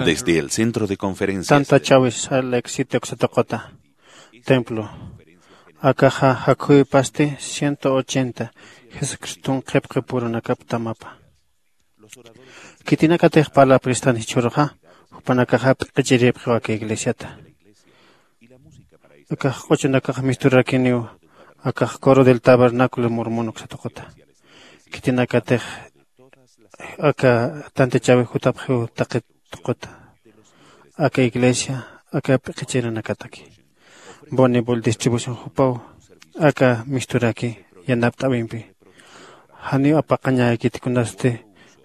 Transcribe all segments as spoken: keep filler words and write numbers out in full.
Desde el centro de conferencias. Tanta chawis Salt Lake City uksatuquta templo. Akaxa jakhuwipasti ciento ochenta Jesucriston qhipqipurunakap tamapa. Khitinakatix parla pristan jichhüruxa, jupanakaxa p'iqichiripxiw aka iglesiata. Akax q'uchunakax misturakiniw, akax coro del tabernáculo mormón uksatuquta. Khitinakatix aka tantichäwi jutapxiw taqi tuquta. Aka iglesia, aka p'iqichirinakataki. Bonibul distribución jupaw aka misturaki yanapt'äwimpi. Janiw apaqañäkiti kunasti,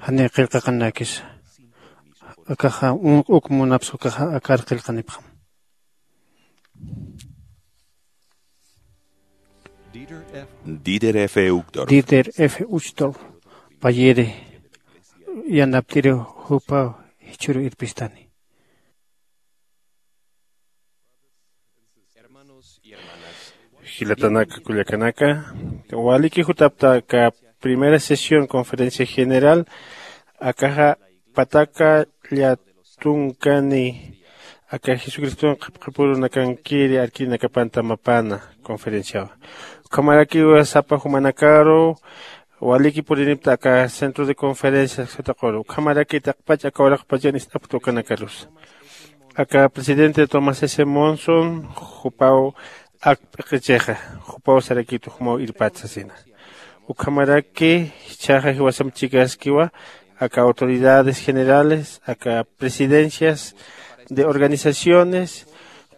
janiw qillqaqañäkisa. Akaxa uk munapsa ukaxa akar qillqanipxam. Dieter F. Uchtdorf. Dieter F. Uchtdorf payiri yanapt'iriw jupaw jichhüru irpistani. Jilatanaka, kullakanaka, waliki jutapta aka primera sesión conferencia general, akaxa pataka llätunkani, aka Jesucriston qhipqipurunakankiri arkinakapan tamapana conferenciawa. Ukhamarakiwa sapa jumanakaru waliki purinipta aka centro de conferencias sataquru. Ukhamaraki taqpach aka uraqpachan ist'apkta ukanakarusa. Aka presidente Thomas S. Monson, jupaw ak p'iqichixa, jupaw sarakitu jumaw irpat sasina. Ukhamaraki jichhaxa jiwasamp chikaskiwa, aka autoridades generales, aka presidencias de organizaciones,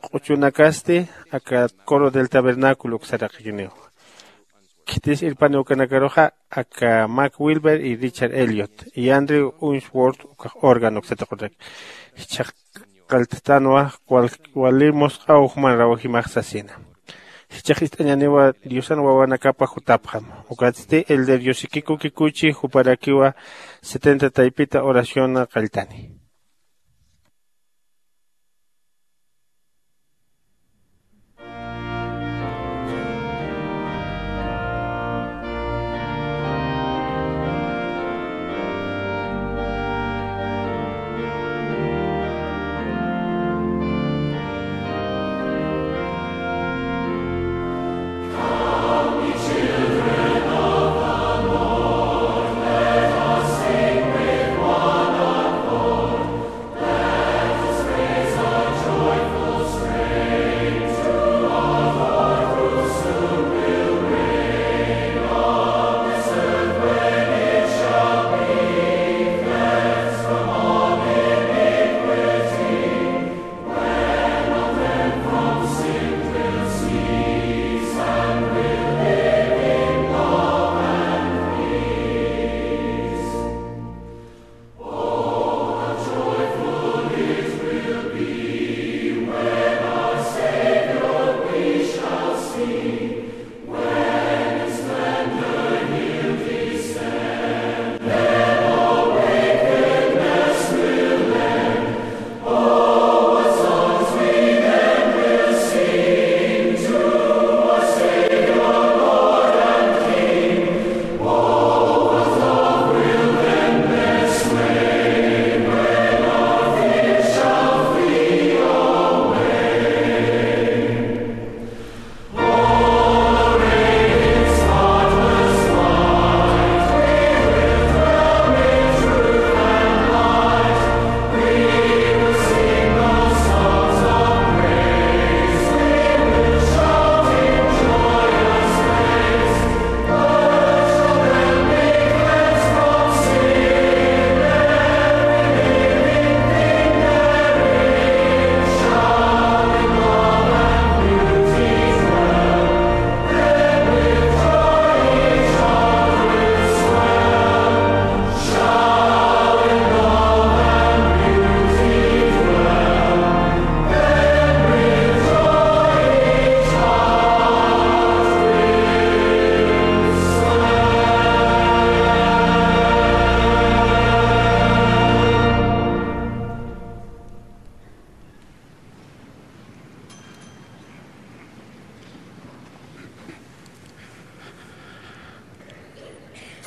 q'uchunakasti, aka coro del tabernáculo uksaraqikiniw. Khitis irpani ukanakaruxa, aka Mac Wilber y Richard Elliot, y Andrew Unsworth, ukax órgano uksataquraki. Jichhax qallttanwa, wal-, wali musq'aw juman rawjimax sasina. Jichhax ist'añäniwa Diosan wawanakapa jutapxam. Ukatsti, Elder Yoshikiko Kikuchi, juparakiwa setenta taypita oración qalltani.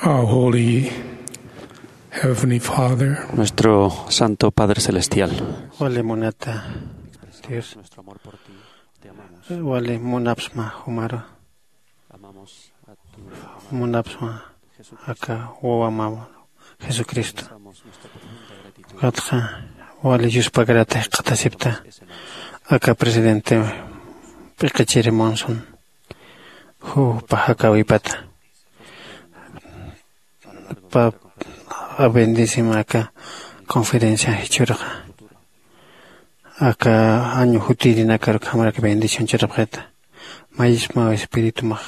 Our holy Heavenly Father, nuestro Santo Padre Celestial. Wali munata Dios, wali munapsma jumaru, munapsma aka wawamaw Jesucristo. Ukatxa wali yuspagarata jikxatasipta aka presidente p'iqichiri Monson, jupa jakäwipata. Pap bendecim aka conferencia jichhürxa, aka año jutirinakar ukhamarak bendición churapxita. Mayisma espiritumax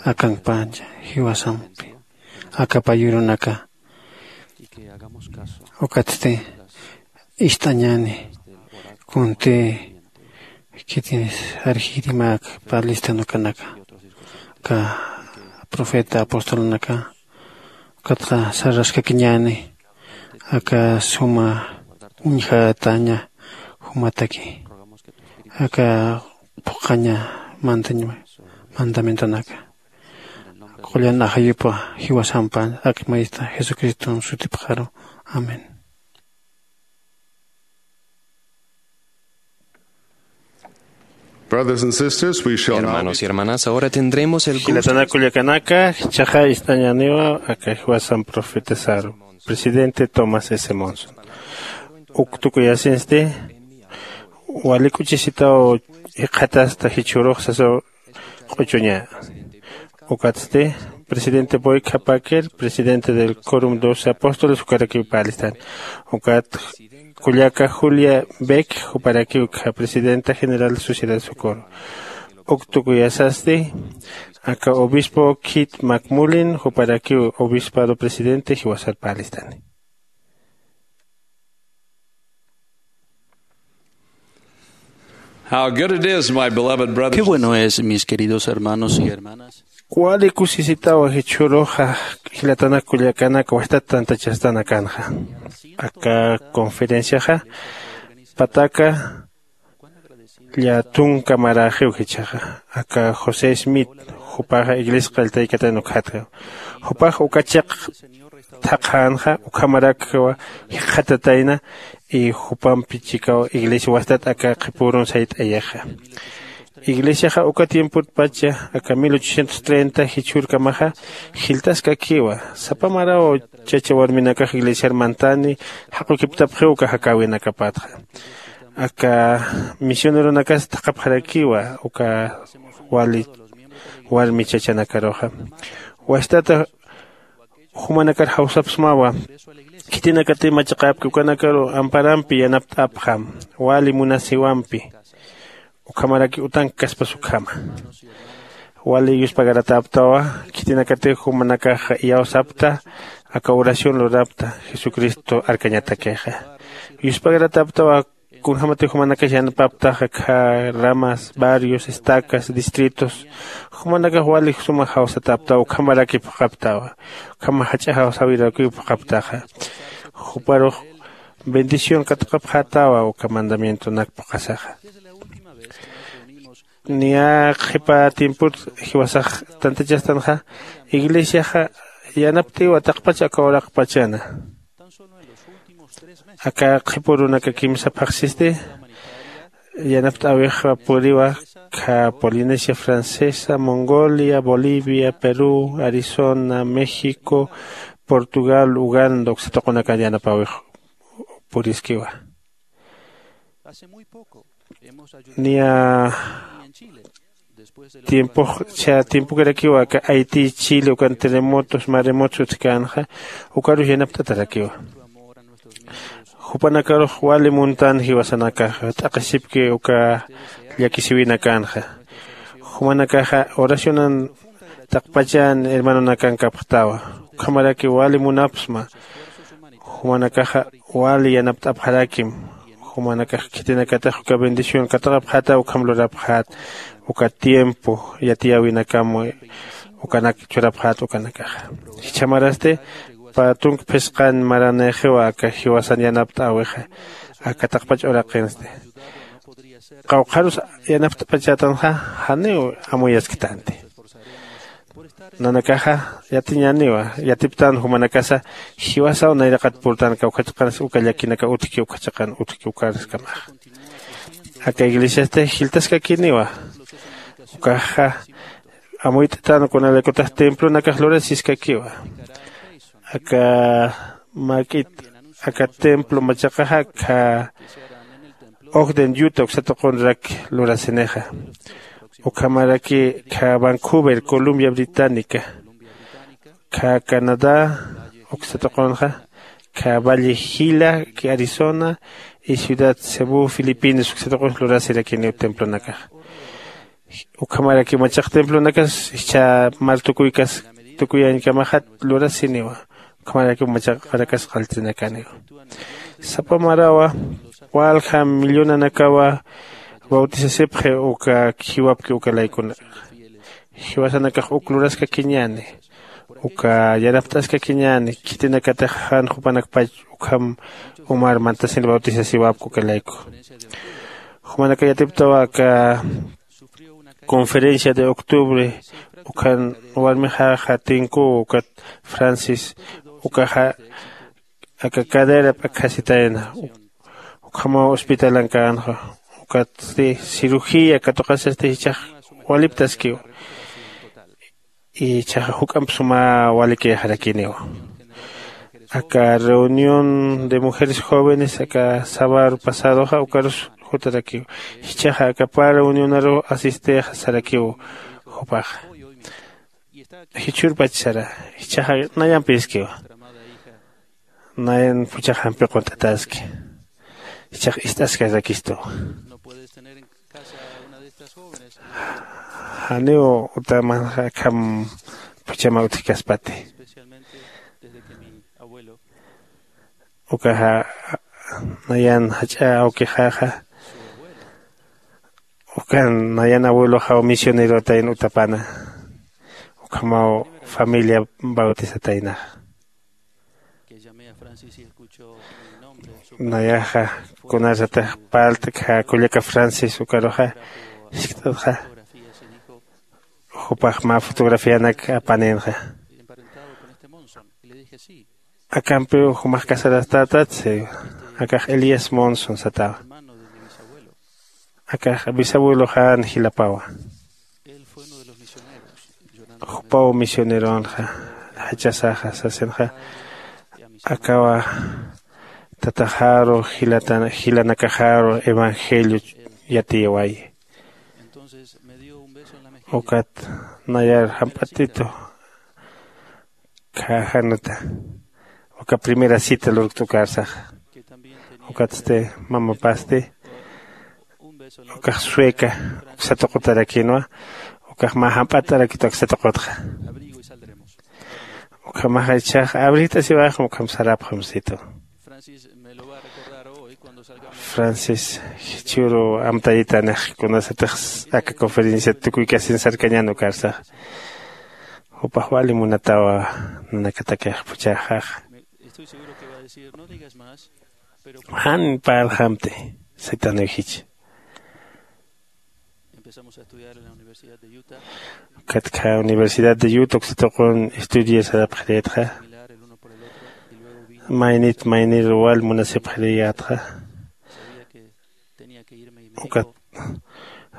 akankpancha jiwasampi aka payurunaka. Ukatsti ist'añäni kunti khitis arjirimak pä listan ukanaka, aka profeta apostolunaka. Ukatxa sarraskakiñäni aka suma uñjataña jumataki, aka phuqhaña mantañ mandamientonaka. Qullan ajayupa jiwasampan ak mayista Jesucriston sutipxaru. Amén. Brothers and sisters, we shall now be... Hermanos y hermanas, ahora tendremos el gusto... Jilatanakullakanaka, jichhaxa ist'añäniwa aka jiwasan profetasaru, presidente Thomas S. Monson. Uk tukuyasinsti, wali k'uchisitaw jikxatasta jichhürux sasaw q'uchuña. Ukatsti, presidente Boyka Packer, presidente del Quórum Doce Apóstoles, jukarakiw parlistan. Ukat kullaka Julia Beck, juparakiw ukha presidenta general Sociedad Socorro. Uk tukuyasasti, aka obispo Keith McMullin, juparakiw obispado presidente jiwasar parlistani. How good it is, my beloved brothers. Qué bueno es, mis queridos hermanos y hermanas. Wali kusisitawa jichhüruxa, jilatanak kullakanaka, wastat tantachastanakanxa. Aka conferenciaxa pataka llätunka maräxiw jichhaxa. Aka José Smith, jupaxa iglesia qilltaykatan ukxatxa. Jupax uka chiq thaqhänxa, ukhamarakwa jikxatatayna, y jupampi chikaw iglesia wastat aka qhipürun sayt'ayixa. Iglesiaxa uka tiempotpacha, aka mil ochocientos treinta jichhürkamaxa, jiltaskakiwa. Sapa maraw chacha warminakax iglesiar mantani, jaqukiptapxiw uka jakäwinakapatxa. Aka misioneronakas thaqhapxarakiwa, uka wali warmi chachanakaruxa. Wastata jumanakar jawsapxsmawa, khitinakatï machaqäpki ukanakaru amparampi yanapt'apxam, wali munasiwampi, ukhamaraki utankkaspas ukhama. Wali yuspagaratäptawa, khitinakatï jumanakax iyawsapta, aka oración lurapta, Jesucristo arkañatakixa. Yuspagaratäptawa, kunjämatï jumanakax yanapaptaxa, akha ramas, barrios, estacas, distritos, jumanakax wali suma jawsatäptawa, ukhamaraki phuqhaptawa, ukham jach'a jawsäwirakiw phuqhaptaxa. Juparux bendición katuqapxätawa, uka mandamientonak phuqhasaxa. Niya qhipa tiempot jiwasax tantachastanxa, iglesiaxa yanapt'iwa taqpach aka uraqpachana. Aka qhipürunaka kimsa phaxsisti yanapt'äwixa puriwa, akha Polinesia Francesa, Mongolia, Bolivia, Perú, Arizona, México, Portugal, Uganda, uksa tuqunakan yanapäwix puriskiwa. Niya tiempox, cha tiempokarakiwa aka Haití, Chile, ukan terremotos, maremotos utjkänxa, ukarus yanapt'atarakiwa. Jupanakarux wali muntan jiwasanakaxa, t'aqhisipki uka llakisïwinakanxa. Jumanakaxa oracionan taqpachan hermanonakan kapxtawa. Ukhamaraki wali munapxsma. Jumanakaxa wali yanapt'apxarakim. Jumanakax khitinakatix uka bendición katuqapxäta, ukham lurapxät, uka tiempo yatiyäwinakam ukanak churapxät ukanakaxa. Jichha marasti, pä tunka phisqan maranïxiwa aka jiwasan yanapt'äwixa, aka taqpach uraqinsti. Qawqharus yanapt'apachätanxa, janiw amuyasktanti. Nanakaxa yatiñäniwa, yatiptan jumanakasa jiwasaw nayraqat purtanaka uka chiqansa uka llakinaka utjki uka chiqan utjki ukarskamaxa. Aka iglesiasti jiltaskakiniwa. Ukaxa amuyt'tan kunalaykutax templonakax lurasiskakiwa. Aka mak'it aka templo machaqaxa kha ogden yuta uksatuqunrak lurasinixa. Ukhamaraki kha vancouver columbia británica, kha canadá uksatuqunxa, kha valle gila ki arizona, y ciudad cebu filipinas uksatuqunx lurasirakiniw templonakaxa. Ukhamaraki machaq templonakas jichha mar tukuykas tukuyañkamaxat lurasiniwa. Ukhamaraki machaqarakas qalltinakaniwa. Sapa marawa walja millonanakawa bautisasipxi uka jiwapki uka laykuna. Jiwasanakax uk luraskakiñäni uka yarapt'askakiñäni khitinakatix jan jupanakpach ukham umar mantasin bautisasiwapki uka layku. Jumanaka yatiptawa aka conferencia de octubre ukhan warmixaxa tinkuw ukat francis ukaxa aka cadera p'akhasitayna. Ukhamaw hospitalankänxa ukatsti cirugía katuqasasti jichhax waliptaskiw. Jichhaxa juk'amp suma walikixarakiniw. Aka reunión de mujeres jóvenes aka sabar pasadoxa ukarus jutarakiw. Jichhaxa aka pä reunionaru asistexa sarakiw. Jupaxa jichhürpach sara. Jichhaxa nayampiskiwa. Nayan phuchhax jampi qunt'ataski. Jichhax ist'askarakistuwa. Janiw utamanxa akham phuchhama utjkaspati. Ukaxa nayan jach'a awkixaxa ukan nayan abueloxaw misionerotayn utapana. Ukhamaw familia bautisataynaxa. Nayaxa kunarsatix parlt'kxa kullaka francis ukaruxa jiskt'atxa. Jupax mä fotografianak apaninxa. Akampiw jumax casarastatat si. Akax elías monson satawa. Akax bisabueloxän jilapawa. Jupaw misioneronxa jachasaxa sasinxa. Akawa tataxaru jilanakaxaru evangelio yatiyawayi. Ukat nayar jamp'atitu kha januta uka primera cita lurkt'ukarsaxa. Ukatsti mamapasti ukax sueca uksatuqutarakinwa. Ukax mä jamp'at'arakit uksatuqutxa. Ukhamaxa ichhax abrijt'asiwaxam ukham sarapxamsitu. Francis jichhüru amtayitanix kunasatix aka conferenciat tukuykasin sarkañän ukarsaxa. Jupax wali munatawa nanakatakix phuchhaxaxa. Jan parljamti saytaniw jich. Ukat kha universidad de yuta uksatuqun estudiar sarapxirïtxa. Maynit maynir wal munasipxirïyätxa. Ukat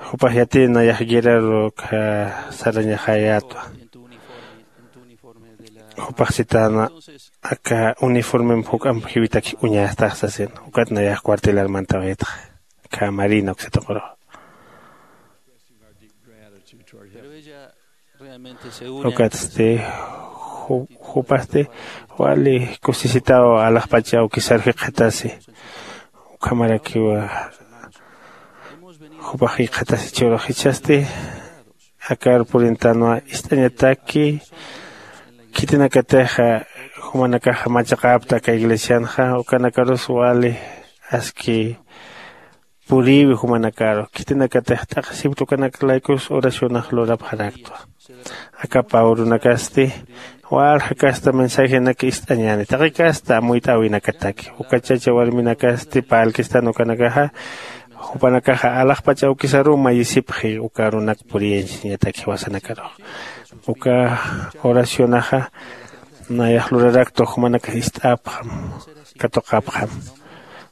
jupax yatïn nayax guerraru kha sarañaxäyätwa. Jupax sitäna aka uniformemp juk'amp jiwitak uñastax sasin. Ukat nayax cuartelar mantawaytxa kha marina uksatuquru. Ukatsti jupasti wali kusisitaw alaxpach awkisar jikxatasi. Ukhamarakiwa jupax jikxatasi churux jichhasti akar purintanwa ist'añataki. Khitinakatixa jumanakaxa machaqäpta aka iglesianxa ukanakarus wali aski purïwi jumanakaru khitinakatix t'aqhisipta ukanak laykus oracionax lurapxaraktwa. Aka pä urunakasti walja kasta mensajenak ist'añäni taqi kasta amuyt'äwinakataki uka chacha warminakasti parlkistan ukanakaxa jupanakaxa alaxpach awkisaruw mayisipxi uka arunak puriyañsiñataki jiwasanakarux. Uka oracionaxa nayax lurarakta jumanakax ist'apxam, katuqapxam.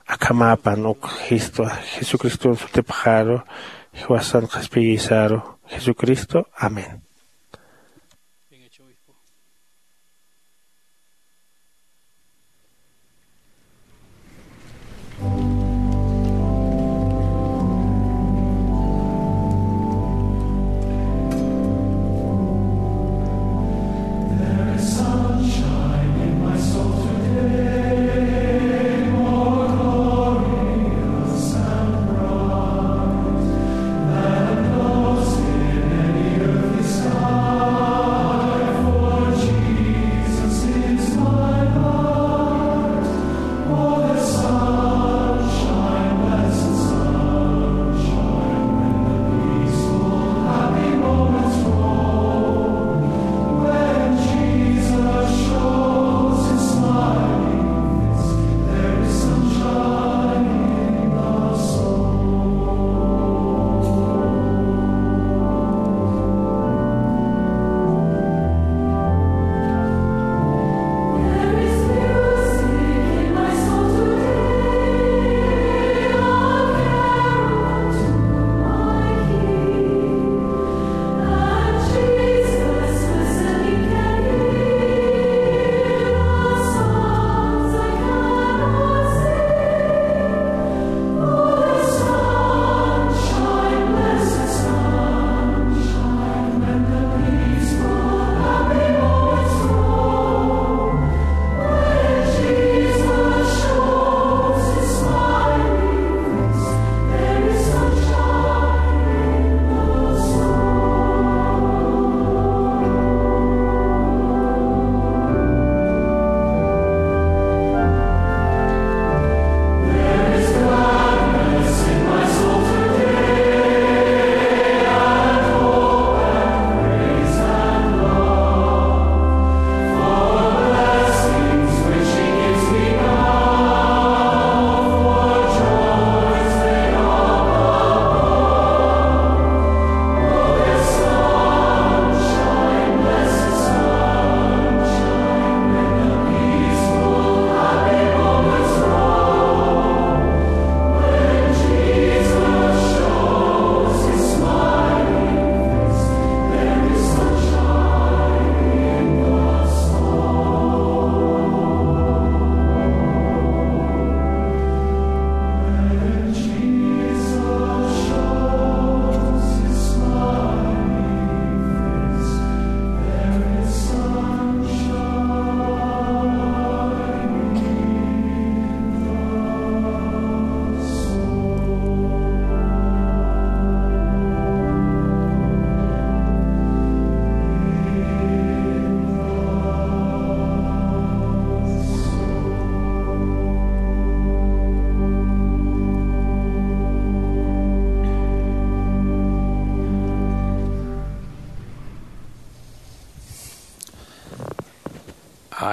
Akhamäpan uk jistwa Jesucriston sutipxaru, jiwasan qhispiyïsaru Jesucristo. Amén.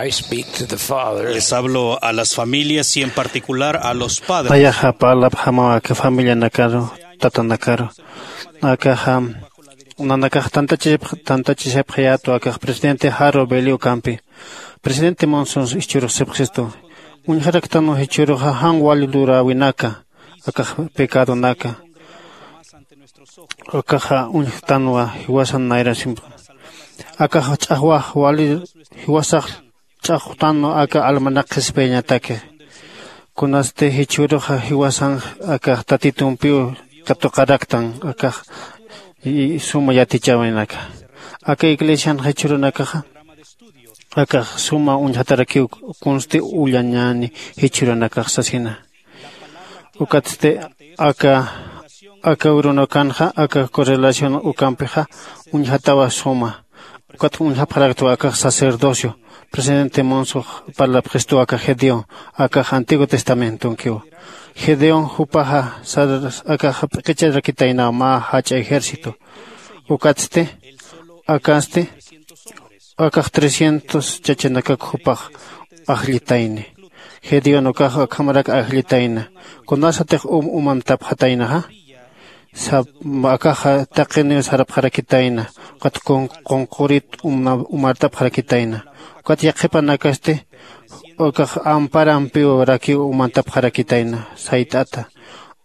I speak to the fathers. Les hablo a las familias y en particular a los padres. Nayaxa parlapxamaw aka familianakaru, tatanakaru. Akaxa nanakax tantachishapx-, tantachishapxayätwa akax presidente Harold Bailey ukampi. Presidente Monson jichhürux sapxistu. Uñjaraktanwa jichhüruxa jan wali luräwinaka, akax pecadonaka. Akaxa uñjtanwa jiwasan nayrasimpi. Akax ch'axwax wali jiwasax ch'axwtanwa aka almanak qhispiyañataki. Kunasti jichhüruxa jiwasan akax Tatitumpiw katuqaraktan, akax y suma yatichäwinaka. Aka iglesian jichhürunakaxa akax suma uñjatarakiw kunsti ullañäni jichhürunakax sasina. Ukatsti aka, aka urunakanxa, aka correlación ukampixa uñjatawa suma. Ukat uñjapxaraktwa akax sacerdocio. Presidente Monson parlapxistu aka Gedeón, akax Antiguo Testamentonkiw. Gedeón jupaxa sar-, akax p'iqicharakitaynaw mä jach'a ejército. Ukatsti, akasti, akax trescientos chachanakak jupax ajllitayni. Gedeón ukax akhamarak ajllitayna. Kunasatix um umantapxataynaxa. Akaxa taqiniw sarapxarakitayna. Ukat qunqurit umart'apxarakitayna. Ukat yaqhipanakasti ukax amparampiw rakiw umantapxarakitayna. Sayt'ata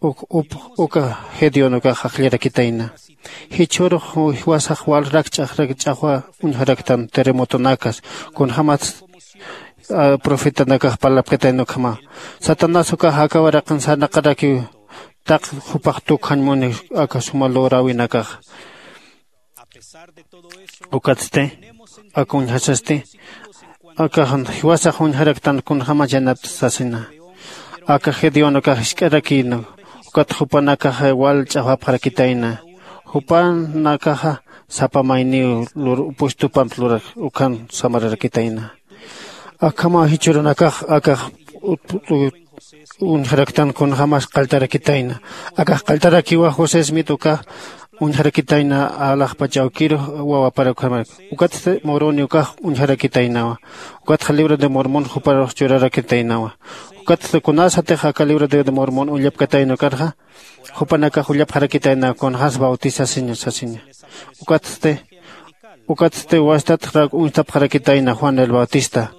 uka gedeón ukax ajllarakitayna. Jichhürux jiwasax walrak ch'axrak ch'axwa uñjaraktan terremotonakas kunjämats profetanakax parlapkatayna ukhama. Satanás ukax aka waraqin sarnaqarakiw taq jupax tukjañ muni aka suma lorawinakaxa. Ukatsti aka uñjasasti akax jiwasax uñjaraktan kunjämas yanapt'sasina. Aka gedeón ukax jisk'arakïna. Ukat jupanakaxa wal ch'axwapxarakitayna. Jupanakaxa sapa mayniw puestump lurak ukan samararakitayna. Akhama jichhürunakax akax uñjaraktan kunjämas qalltarakitayna. Akax qalltarakiwa josé smith ukax uñjarakitayna alaxpach awkirux wawapar ukhamarak. Ukatsti moroni ukax uñjarakitaynawa. Ukatxa libro de mormon juparux churarakitaynawa. Ukatsti kunasatix aka libro de mormon ullapkatayna ukarxa jupanakax ullapxarakitayna kunjämas bautisasiña sasiña. Ukatsti ukatsti wastat uñstapxarakitayna juan el bautista.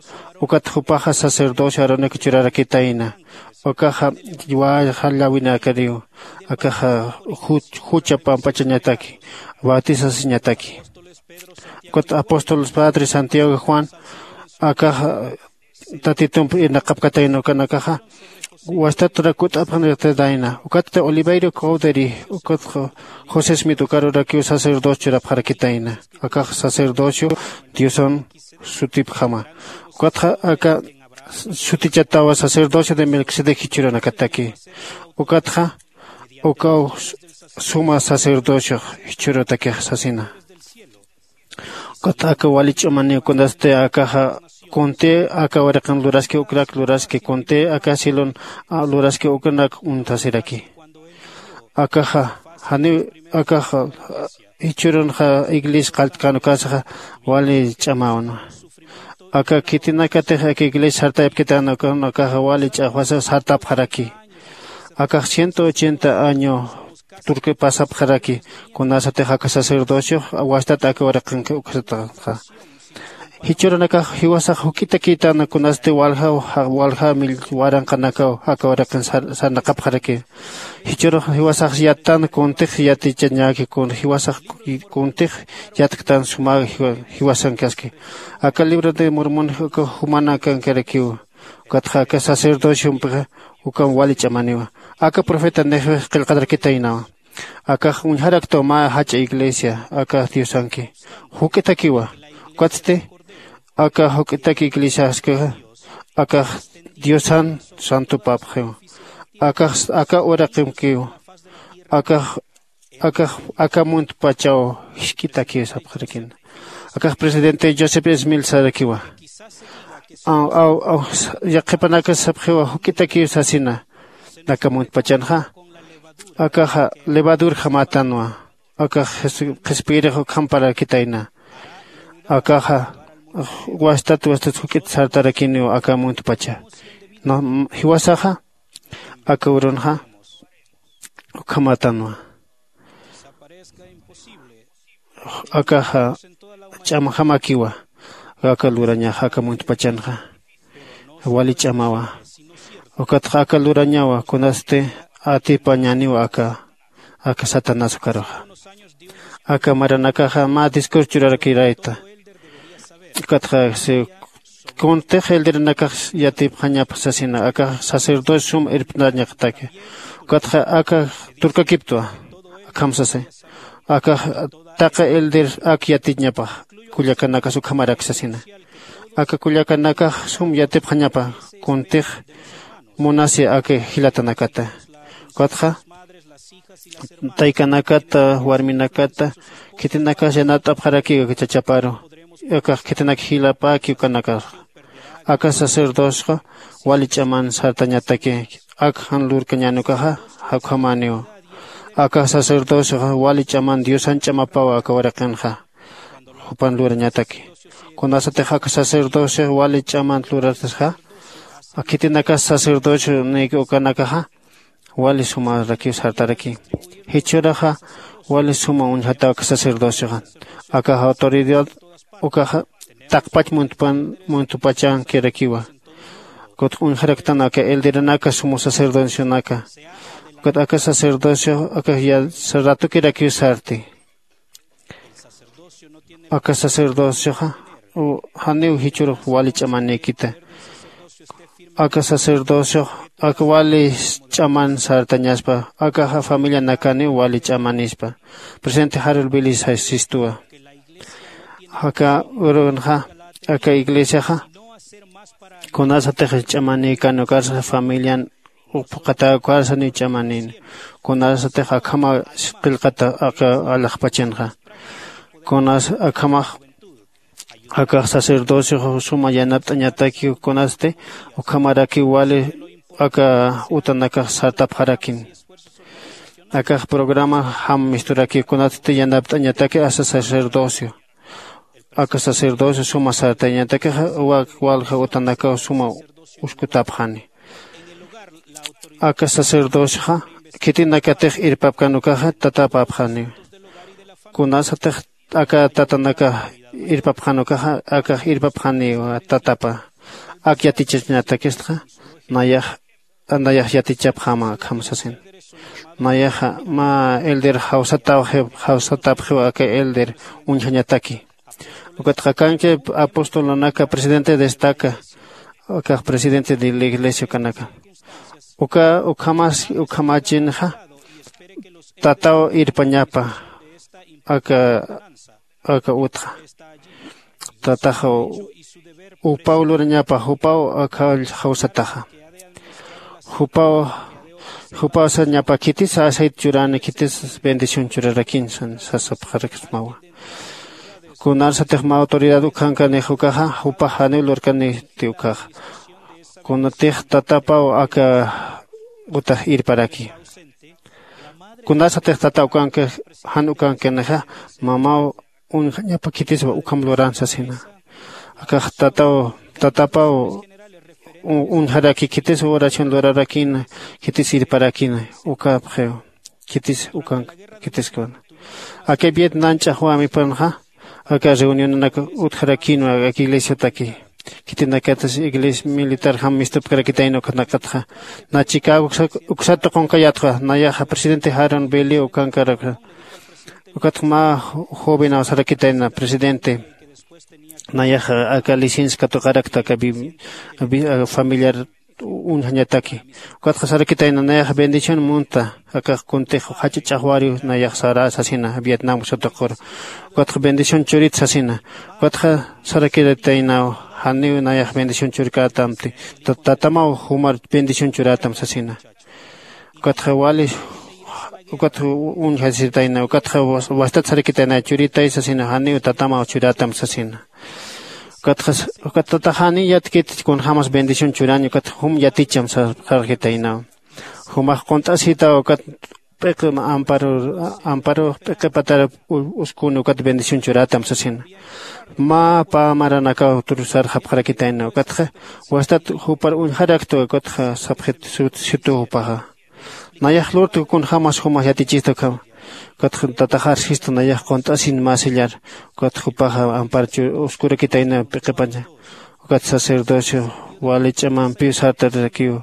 Ukat jupaxa sacerdocio aronak churarakitayna. Ukaxa wayxa llawinakariw akaxa jucha pampachañataki bautisasiñataki. Ukat apóstoles padre santiago juan akaxa tatitump irnaqapkatayna ukanakaxa wastaturak kut'apxarakitayna. Ukatsti oliveiro cowdery ukat josé smith ukarurakiw sacerdocio churapxarakitayna. Akax sacerdocio diosan sutipjama. Ukatxa aka sutichatawa sacerdocio de melquisedec jichhürunakataki. Ukatxa ukaw suma sacerdociox jichhürutakix sasina. Ukat aka wali ch'amaniw kunasti akaxa kunti aka waraqin luraski ukrak luraski kunti aka cielon luraski uknak uñtasiraki. Akaxa janiw akaxa jichhürunxa iglesia qalltkän ukasaxa wali ch'amawnwa. Aka khitinakatix aka iglesia sartayapkitän ukan akaxa wali ch'axwasa sartapxaraki. Akax ciento ochenta año turki pasapxaraki. Kunasatix aka sacerdociox wastat aka waraqinki uksataxa. Jichhürunakax jiwasax juk'itakïtana kunasti waljaw walja waranqanakaw aka waraqin sarnaqapxaraki. Jichhürux jiwasax yattan kuntix yatichañäki kun jiwasax kuntix yatktan suma jiwasankaski. Aka libro de mormon uka jumanakankarakïwa. Ukatxa aka sacerdociompixa ukham wali ch'amaniwa. Aka profetanixpix qillqatarakitaynawa. Akax uñjaraktwa mä jach'a iglesia aka diosanki juk'itakiwa. Ukatsti aka juk'itak iglesiaskixa akax diosan santupapxiwa. Akax aka uraqimkiw akax akax aka muntpachaw jisk'itakiw sapxarakina. Akax presidente joseph smil sarakiwa. Aw aw aw yaqhipanakas sapxiwa juk'itakiw sasina. Aka muntpachanxa akaxa levadurjamätanwa. Akax qhispiyirix ukhamparakitayna. Akaxa wastat wastat juk'it sartarakiniw aka muntpacha. Jiwasaxa aka urunxa ukhamätanwa. Akaxa ch'amjamakiwa. Aka lurañaxa aka muntpachanxa wali ch'amawa. Ukatxa aka lurañawa kunasti atipañäniwa aka aka satanás ukaruxa. Aka maranakaxa mä discurso churarakirayta. Ukatxa kuntix elderanakax yatipxañapa sasina akax sacerdocio sum irpnañaqtaki. Ukatxa aka turkakiptwa akham sasi. Akax taqi elder ak yatiñapax kullakanakas ukhamarak sasina. Aka kullakanakax sum yatipxañapa kuntix munasi aka jilatanakata. Ukatxa taykanakata warminakata khitinakas yanat'apxarakiw aka chachaparu. Akax khitinak jilapäki ukanakaxa aka sacerdocixa wali ch'aman sartañataki. Ak jan lurkañänukaxa jakjamäniw. Aka sacerdocixa wali ch'aman diosan ch'amapaw aka waraqinxa jupan lurañataki. Kunasatix aka sacerdocixa wali ch'aman lurasxa khitinakas sacerdocio nïki ukanakaxa wali sumarakiw sartaraki. Jichhüraxa wali suma uñjataw aka sacerdocioxa. Akax autoridad ukaxa taqpach muntpan muntupachankirakiwa. Kutx uñjaraktan aka elderanaka sumu sacerdocionaka. Kut aka sacerdocio aka ya ratukirakiw sarti. Aka sacerdocioxa janiw jichhürux wali ch'amanïkita. Aka sacerdociox aka wali ch'aman sartañaspa akaxa familianakaniw wali ch'amanispa. Presidente harol bilis sistuwa. Aka urunxa aka iglesiaxa kunasatix ch'amanïkan ukarsa familian uphuqataw ukarsa niw ch'amanin. Kunasatix akhama qillqata aka alaxpachanxa kunas akhamax akax sacerdociox suma yanapt'añataki kunasti ukhamarakiw wali aka utanakax sartapxarakin. Akax programa jam misturaki kunatsti yanapt'añataki asa sacerdocio aka sacerdocio suma sartañatakixa walja utanakaw suma uskutapxani. Aka sacerdocioxa khitinakatix irpapkan ukaxa tatapapxaniw. Kunasatix aka tatanaka irpapxan ukaxa akax irpapxaniw tatapa. Ak yatichañatakistxa nayax nayax yatichapxama akham sasin. Nayaxa mä elder jawsatapxiw aka elder uñjañataki. Ukatxa kanki apostolunaka presidente destaca akax presidente de la iglesia ukanaka. Uka ukhamas ukhamachinxa tataw irpañapa aka aka utxa. Tataxa jupaw lurañapa jupaw akhall jawsataxa. Jupaw jupaw sañapa khitis aceite churani khitis bendición churarakin sasapxarakismawa. Kunarsatix mä autoridad ukhankanix ukaxa jupax janiw lurkaniti ukaxa. Kunatix tatapaw aka utax irparaki. Kunasatix tata ukanki jan ukankinixa mamaw uñjañapa khitiswa ukham luran sasina. Akax tataw tatapaw uñjaraki khitis oración lurarakina khitis irparakina ukapxiw khitis ukank khitiskuna. Aka vietnam ch'axwamipanxa aka reunionanak utjarakinwa aka iglesiataki. Khitinakatas iglesia militarjam mistupkarakitayna ukhanakatxa na chicago uksat tuqunkayatxa nayaxa presidente jaron beli ukankarakxa. Ukatxa mä jovenaw sarakitayna presidente nayaxa aka licencia katuqarakta aka familiar uñjañataki. Ukatxa sarakitayna nayaxa bendición munta akax kuntix jach'a ch'axwariw nayax sara sasina vietnam satuqur. Ukatxa bendición churit sasina. Ukatxa sarakitaynaw janiw nayax bendición churkätamti tatamaw jumar bendición churätam sasina. Ukatxa wali ukatxa uñjasitayna ukatxa wastat sarakitayna churitay sasina janiw tatamaw churätam sasina. Ukatxa ukat tataxani yatkit kunjämas bendición churañ ukat jum yaticham sarxitaynaw. Jumax qunt'asitaw ukat p'iqi amparo amparo p'iqi patar uskuni ukat bendición churätam sasina. Mä pä maranakaw sarxapxarakitayna ukatxa wastat jupar uñjarakta ukatxa sapxit situ jupaxa. Nayax lurtku kunjämas jumax yatichista ukhama. Ukatxa tataxar sistu nayax qunt'asin mä sillar. Ukatxa jupaxa ampar uskurakitayna p'iqipaña. Ukat sacerdocio wali ch'amampiw sartarirakiw.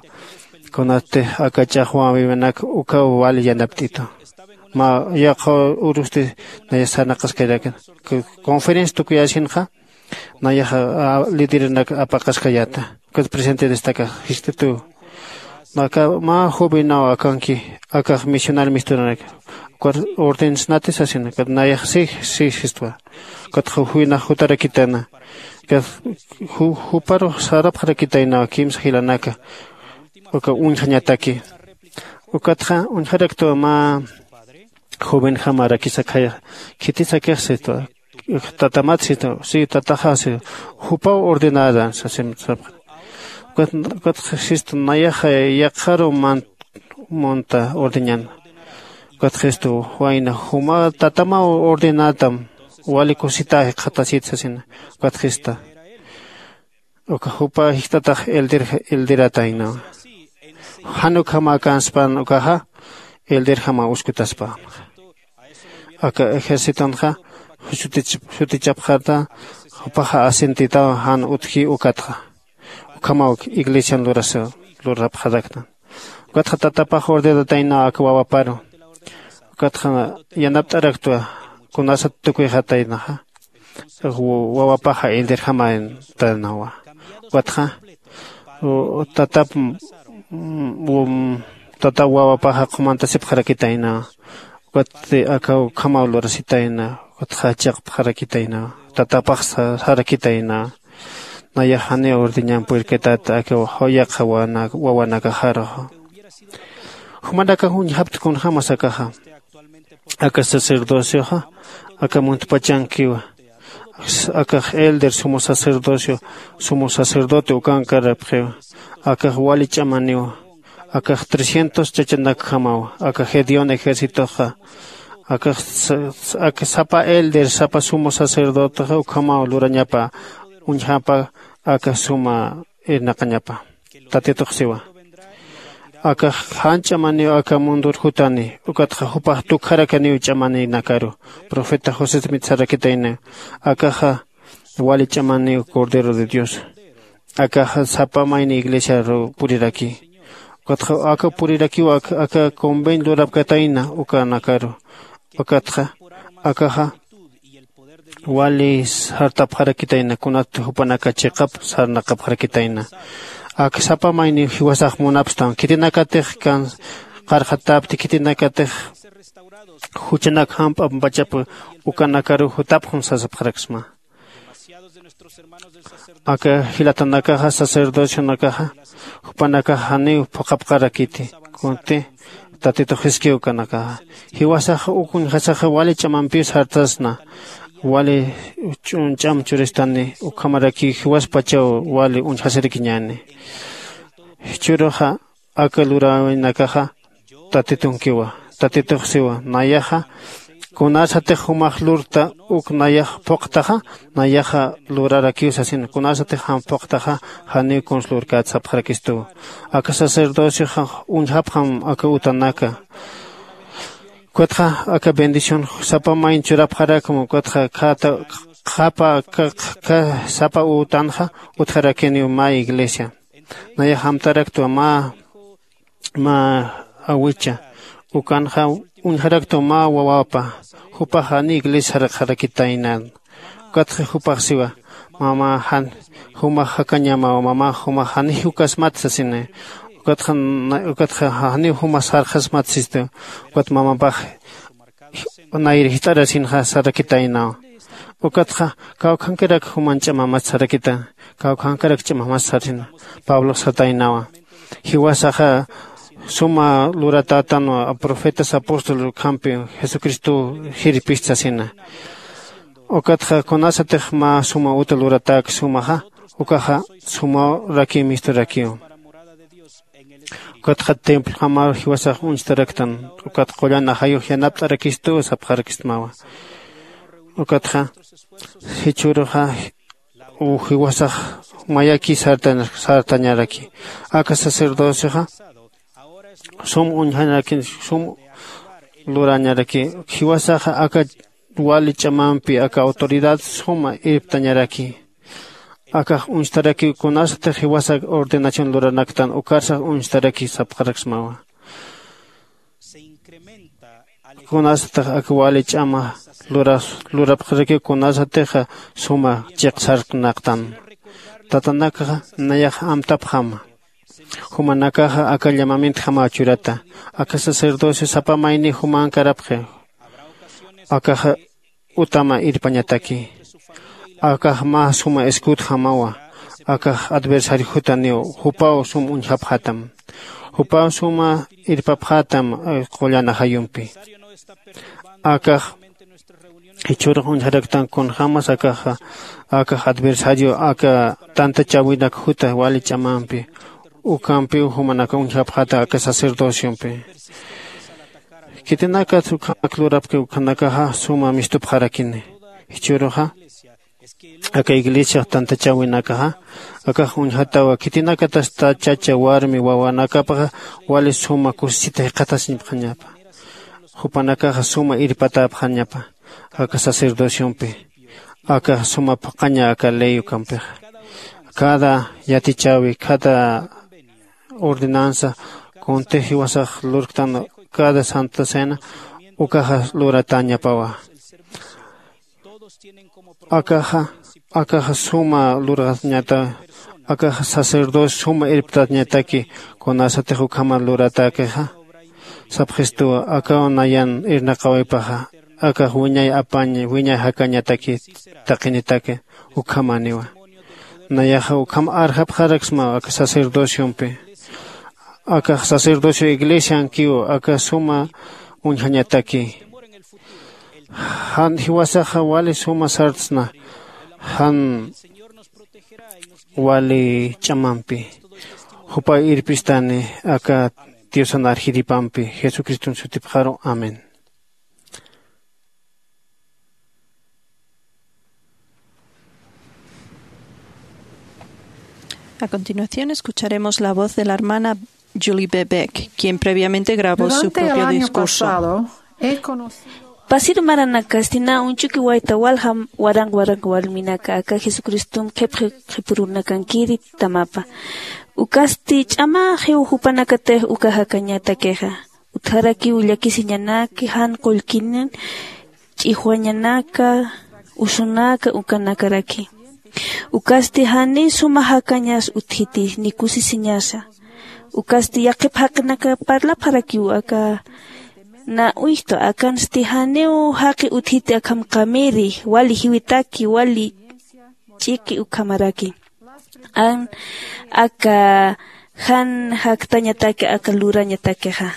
Kunatix aka ch'axwäwinak ukaw wali yanapt'itu. Mä yaqha urusti nayax sarnaqaskayrakin conferencia tukuyäsinxa nayaxa lideranak apaqaskayäta. Ukat presidente destaca jistitu naka mä jovenaw akanki akax misional misturanak. Ukat ordenasnati sasina ukat nayax si si sistwa. Ukatxa juwinax jutarakitayna ukat juparux sarapxarakitaynaw kimsa jilanaka uka uñjañataki. Ukatxa uñjaraktwa mä jovenjamarakis akhaya khitis akix sistwa. Tatamat sita si tataxa si jupaw ordenada sasim sapxi. Ukatxa sistu nayaxa yaqharu munta ordeñan. Ukatxa sistu wayna juma tatamaw ordenatam wali kusita jikxatasit sasina. Ukatxa sista uka jupa jikxtatax elder elderataynawa. Jan ukhama kanspan ukaxa elderjama uskutaspa. Aka ejercitonxa sutichapxarta jupaxa asentitaw jan utji ukatxa ukhamaw iglesian lurasa lurapxaraktan. Ukatxa tatapax ordenataynaw aka wawaparu ukatxa yanapt'araktwa kunasat tukuyxataynaxa wawapaxa elderjamaytanawa. Ukatxa tatap tatap wawapaxa qhumantasipxarakitaynawa. Ukat aka ukhamaw lurasitayna ukatxa jachaqpxarakitaynawa tatapax sarakitaynawa. Nayax janiw ordeñan purirkatata aka yaqha wawanakaxaruxa. Jumanakax uñjapta kunjämas akaxa aka sacerdocioxa aka muntpachankiwa. Akax elder sumo sacerdocio sumo sacerdote ukankarapxiwa. Akax wali ch'amaniwa akax trescientos chachanakjamawa aka gedeón ejercitoxa. Akax sapa elder sapa sumo sacerdotexa ukhamaw lurañapa uñjapa aka suma irnaqañapa. Tatitux siwa akax jan ch'amaniw aka mundur jutani ukatxa jupax tukjarakaniw ch'amaninakaru. Profeta josé smith sarakitayniw akaxa wali ch'amaniw cordero de dios. Akaxa sapa mayni iglesiaru puriraki ukatxa aka purirakiw aka conveñ lurapkatayna ukanakaru. Ukatxa akaxa wali sartapxarakitayna kunat jupanaka chiqap sarnaqapxarakitayna. Ak sapa mayniw jiwasax munapstan khitinakatix kan qarxatapti khitinakatix juchanak jamp'ampachap ukanakaru jutapxun sasapxaraksma. Aka jilatanakaxa sacerdocionakaxa jupanakax janiw phuqhapxarakiti. Kunti tatitux jiskiw ukanakaxa jiwasaxa uk uñjasaxa wali ch'amampiw sartasna. Wali ch'am churistani ukhamarakiw jiwaspachaw wali uñjasirakiñäni. Jichhüruxa aka luräwinakaxa tatitunkiwa. Tatitux siwa nayaxa kunasatix jumax lurta uk nayax phuqtaxa nayaxa lurarakiw sasina kunasatix jam phuqtaxa janiw kuns lurkät sapxarakistuwa. Aka sacerdocioxa uñjapxam aka utanaka. Ukatxa aka bendición sapa mayn churapxarakma ukatxa khata qhapa sapa utanxa utjarakiniw mä iglesia. Nayax amtaraktwa mä mä awicha ukanxa uñjaraktwa mä wawapa. Jupax janiw iglesia sarxarakitaynan. Ukatxa jupax siwa mama jan jumax jakañamaw mama jumax janiw jukasmat sasina. Ukatxa ukatxa janiw jumax sarxasmat sistu. Ukat mamapax nayri jist'arasinxa sarakitaynaw. Ukatxa kawkhankarak juman ch'amamat sarakita. Kawkhankarak ch'amamat sarina. Pablox sataynawa jiwasaxa suma luratätanwa profetas apóstol ukhampi jesucristow jirpist sasina. Ukatxa kunasatix mä suma uta luratäk sumaxa ukaxa sumawrakiw misturakiw. Ukatxa templojamaw jiwasax uñstaraktan ukat qullan ajayux yanapt'arakistuw sapxarakistmawa. Ukatxa jichhüruxa jiwasax mayaki sartañaraki. Aka sacerdocioxa sum uñjanaraki sum lurañaraki. Jiwasaxa aka wali ch'amampi aka autoridad suma irptañaraki. Akax uñstarakiw kunasatix jiwasak ordenación luranaktan ukarsax uñstarakiw sapxaraksmawa. Kunasatix aka wali ch'ama lurapxarakiw kunasatixa suma chiqsarknaqtan. Tatanakaxa nayax amtapxama. Jumanakaxa aka llamamientjamaw churata. Aka sacerdocio sapa mayni jumankarapxi. Akaxa utama irpañataki. Akax mä suma escudjamawa. Akax adversario jutaniw jupaw sum uñjapxätam. Jupaw suma irpapxätam qullan ajayumpi. Akax jichhürux uñjaraktan kunjämas akaxa akax adversario aka tantachäwinak juta wali ch'amampi ukampiw jumanaka uñjapxäta aka sacerdociompi. Khitinakat ukhanak lurapki ukhanakaxa suma mistupxarakini. Jichhüruxa aka iglesiax tantachäwinakaxa akax uñjatawa khitinakatasta chacha warmi wawanakapaxa wali suma kusisita jikxatasiñapxañapa. jupanakaxa suma irpatäpxañapa aka sacerdociompi. Akaxa suma phuqhaña aka ley ukampixa. Cada yatichäwi, cada ordenanza, kuntix jiwasax lurktan cada santa cena ukaxa luratäñapawa. Akaxa akaxa suma lurxañata. Akaxa sacerdocio suma irptañataki. Kunasatix ukhama luratäkixa, sapxistuwa akaw nayan irnaqawipaxa akax wiñay apañ, wiñay jakañataki taqinitaki. Ukhamaniwa. Nayaxa ukham arjapxaraksma aka sacerdociompi. Akax sacerdocio iglesiankiw aka suma uñjañataki. Jan jiwasaxa wali suma sartsna. Jan wali ch'amampi. Jupay irpistani aka diosan arjiripampi jesucriston sutipxaru. Amén. A continuación escucharemos la voz de la hermana Julie Bebeck, quien previamente grabó su propio discurso. Pasir maranakasti na uñchuki wayta walja waranq waranq warminaka aka Jesucristom qhipxi qhipurunakankiri tamapa. Ukasti ch'amaxiw jupanakatix uka jakañatakixa. Utjarakiw llakisiñanaki jan qullkinin ch'ijwañanaka usunaka ukanakaraki. Ukasti janiw suma jakañas utjiti ni kusisiñasa. Ukasti yaqhip jaqinaka parlapxarakiw aka na uñjtu akansti janiw jaqi utjiti akham qamiri wali jiwitaki wali ch'iki ukhamaraki. An aka jan jaktañataki aka lurañatakixa.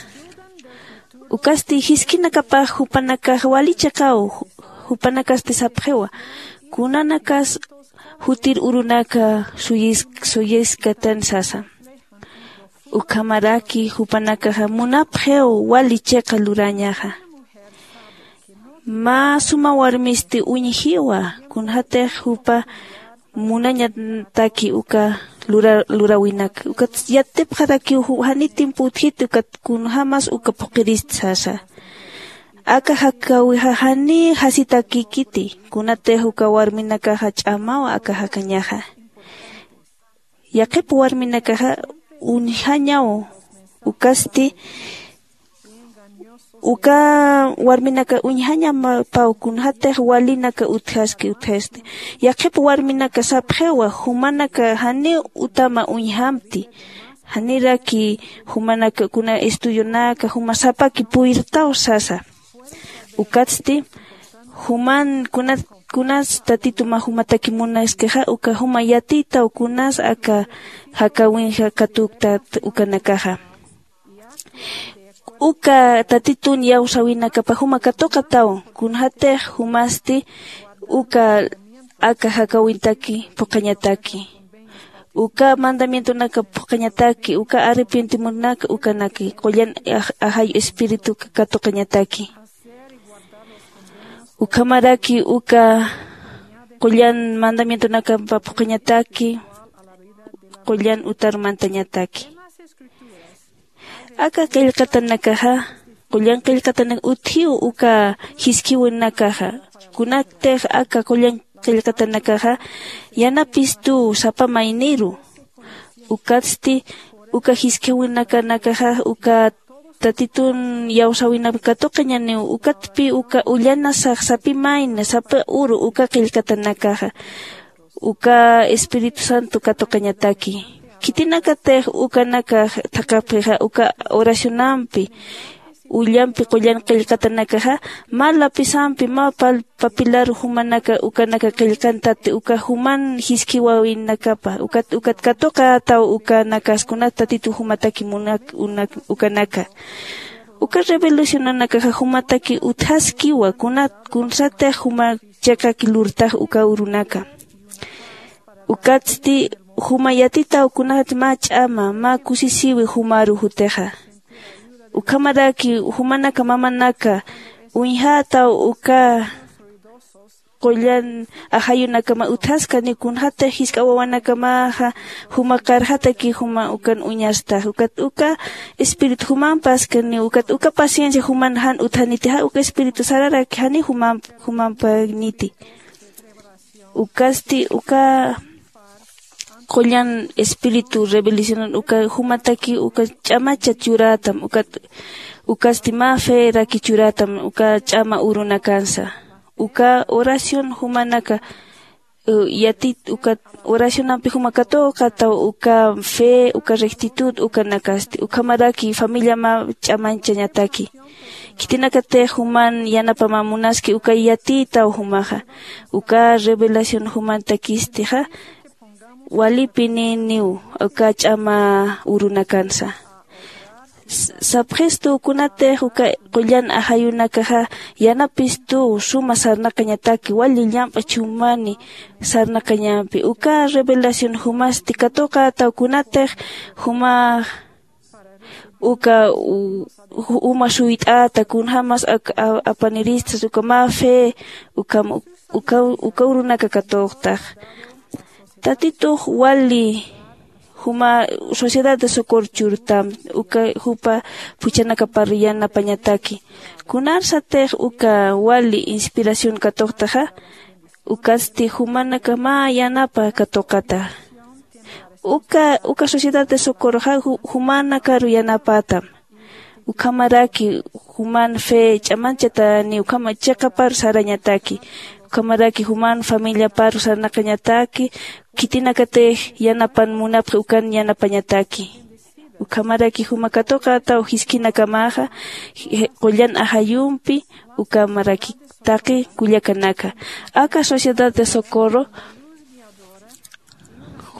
Ukasti jiskinakapax jupanakax wali chiqaw. Jupanakasti sapxiwa kunanakas jutir urunaka suyis suyiskatan sasa. Ukhamaraki jupanakaxa munapxiw wali chiqa lurañaxa. Mä suma warmisti uñjiwa kunjatix jupa munañataki uka lurawinaka ukat yatipxarakiw jani tiempo utjiti ukat kunjämas uka phuqhirist sasa. Aka jakäwixa jani jasitakikiti kunatix uka warminakaxa ch'amawa aka jakañaxa. Yaqhip warminakaxa uñjañaw. Ukasti uka warminaka uñjañapaw kunjatix walinaka utjaski utjasti. Yaqhip warminaka sapxiwa jumanaka janiw utama uñjamti. Janiraki jumanaka kuna estudionaka juma sapaki puyrtaw sasa. Ukatsti juman kunas kunas tatituma jumataki munaskixa uka juma yatiytaw kunas aka jakäwinxa katuktat ukanakaxa. Uka tatitun iyawsäwinakapa juma katuqataw kunjatix jumasti uka aka jakäwintaki phuqhañataki. Uka mandamientonaka phuqhañataki uka arrepentimunaka ukanaki qullan ajayu espirituka katuqañataki. Ukhamaraki uka qullan mandamientonakapa phuqhañataki qullan utar mantañataki. Aka qillqatanakaxa qullan qillqatanak utjiw uka jiskhiwinakaxa. Kunatix aka qullan qillqatanakaxa yanapistuw sapa mayniru. Ukatsti uka jiskhiwinakanakaxa uka tatitun iyawsäwinap katuqañaniw ukatpi uka ullanasax sapi mayni sapa uru uka qillqatanakaxa uka espíritu santo katuqañataki. Khitinakatix ukanaka thaqhapxixa uka oracionampi ullampi qullan qillqatanakaxa mä lapisampi mä papilaru jumanaka ukanaka qillqantati uka juman jiskhiwäwinakapa ukat ukat katuqätaw ukanakas kunat tatitu jumataki munak ukanaka. Uka revelacionanakaxa jumataki utjaskiwa kunat kunsatix juma chiqaki lurtax uka urunaka. Ukatsti juma yatitaw kunat mä ch'ama mä kusisiwi jumaru jutixa. Ukhamaraki jumanaka mamanaka uñjätaw uka qullan ajayunakama utjaskani kunxatix jisk'a wawanakamaxa juma qarxataki juma ukan uñastax ukat uka espíritu jumampaskani ukat uka paciencia juman jan utjanitixa uka espíritu sararaki jani jumampaniti. Ukasti uka qullan espíritu revelacionan uka jumataki uka ch'amacha churätam ukat ukasti mä feraki churätam uka ch'ama urunakansa. Uka oración jumanaka yatit uka oracionampi juma katuqataw uka fe uka rectitud ukanakasti ukhamaraki familia mä ch'amañchañataki. Khitinakatix juman yanapamä munaski uka yatiytaw jumaxa uka revelación jumantakistixa walipininiw uka ch'ama urunakansa. Sapxistuw kunatix uka qullan ajayunakaxa yanapistuw suma sarnaqañataki wali llamp'a chumani sarnaqañampi uka revelación jumasti katuqataw kunatix juma uka uma suyt'ata kunjämas apaniristas uka mä fe ukham uka urunaka katuqtax. Tatitux wali juma sociedad de socorro churtam uka jupa phuchhanakapar yanapañataki. Kunarsatix uka wali inspiración katuqtaxa ukatsti jumanaka mä yanapa katuqata. Uka uka sociedad de socorroxa jumanakaru yanapätam. Ukhamaraki juman fe ch'amanchatani ukhama chiqaparu sarañataki. Ukhamaraki juman familiaparu sarnaqañataki khitinakatix yanapan munapxi ukan yanapañataki. Ukhamaraki juma katuqataw jiskinakamaxa qullan ajayumpi ukhamaraki taqi kullakanaka aka sociedad de socorro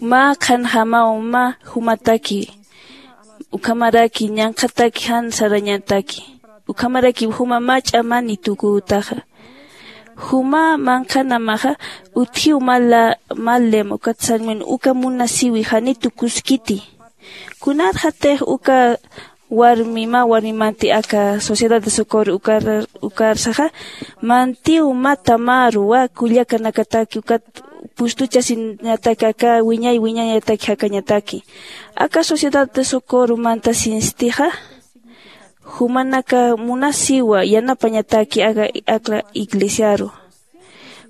mä qhanjamaw mä jumataki ukhamaraki ñanqhataki jan sarañataki. Ukhamaraki juma mä ch'amani tukütaxa juma manqhanamaxa utjiw mä lema ukat sarmin uka munasiwi janitu kuskiti. Kunarxatix uka warmi mä warmimanti aka sociedad de socorro ukarsaxa mantiw mä tamaru wä kullakanakataki ukat pustuchasiñataki aka wiñay wiñañataki jakañataki. Aka sociedad de socorro mantasinstixa jumanaka munasiwa yanapañataki aka iglesiaru.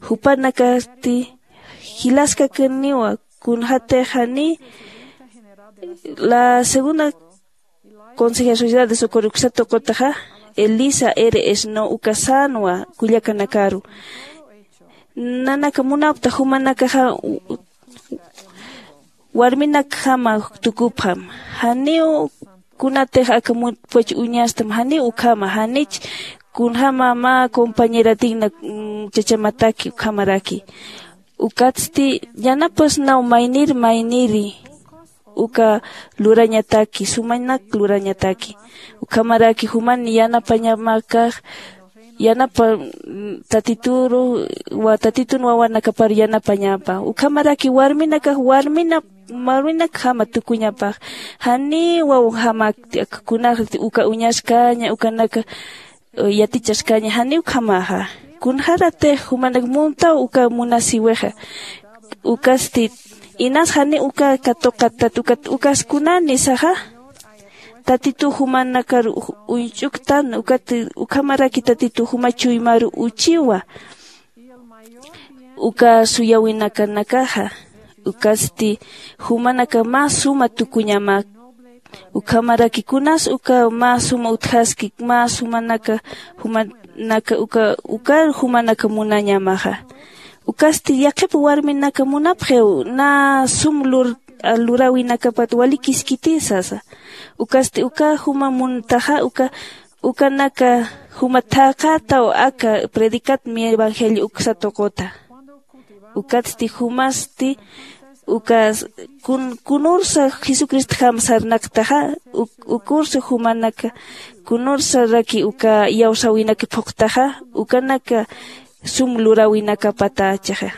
Jupanakasti jilaskakaniwa kunxatix jani la segunda conseja sociedad de socorro uksa tuqutaxa elisa r s no uka sänwa kullakanakaru. Nanaka munapta jumanakaxa warminakjama tukupxam. Janiw kunatix aka mutpach uñastam janiw ukhama janich kunjäma mä compañeratigna chachamataki ukhamaraki. Ukatsti yanapasnaw maynir mayniri uka lurañataki sumanak lurañataki. Ukhamaraki juman yanapañamakax yanapa tatituru tatitun wawanakapar yanapañapa ukhamaraki warminakax warmina warminakjama tukuñapax. Janiw wawjamakti aka kunax uka uñaskaña ukanaka yatichaskaña janiw ukhamaxa. Kunxaratix jumanak muntaw uka munasiwixa. Ukasti inas janiw uka katuqatat ukat ukas kunanisaxa tatituw jumanakar uñch'uktan ukat ukhamaraki tatituw juma chuymaru uchiwa. Uka suyawinakanakaxa ukatsti jumanaka mä suma tukuñamak. Ukhamaraki kunas uka mä suma utjaski mä sumanaka jumanaka uka ukar jumanaka munañamaxa. Ukatsti yaqhip warminaka munapxiw nä sum luräwinakapat wali kiskiti sasa. Ukatsti uka juma muntaxa uka ukanaka juma thaqataw aka predicat mi evangelio uksa tuquta. Ukatsti jumasti uka kunursa jesucristjam sarnaqtaxa ukursa jumanaka kunursaraki uka iyawsäwinaki phuqtaxa ukanaka sum luräwinakapatachixa.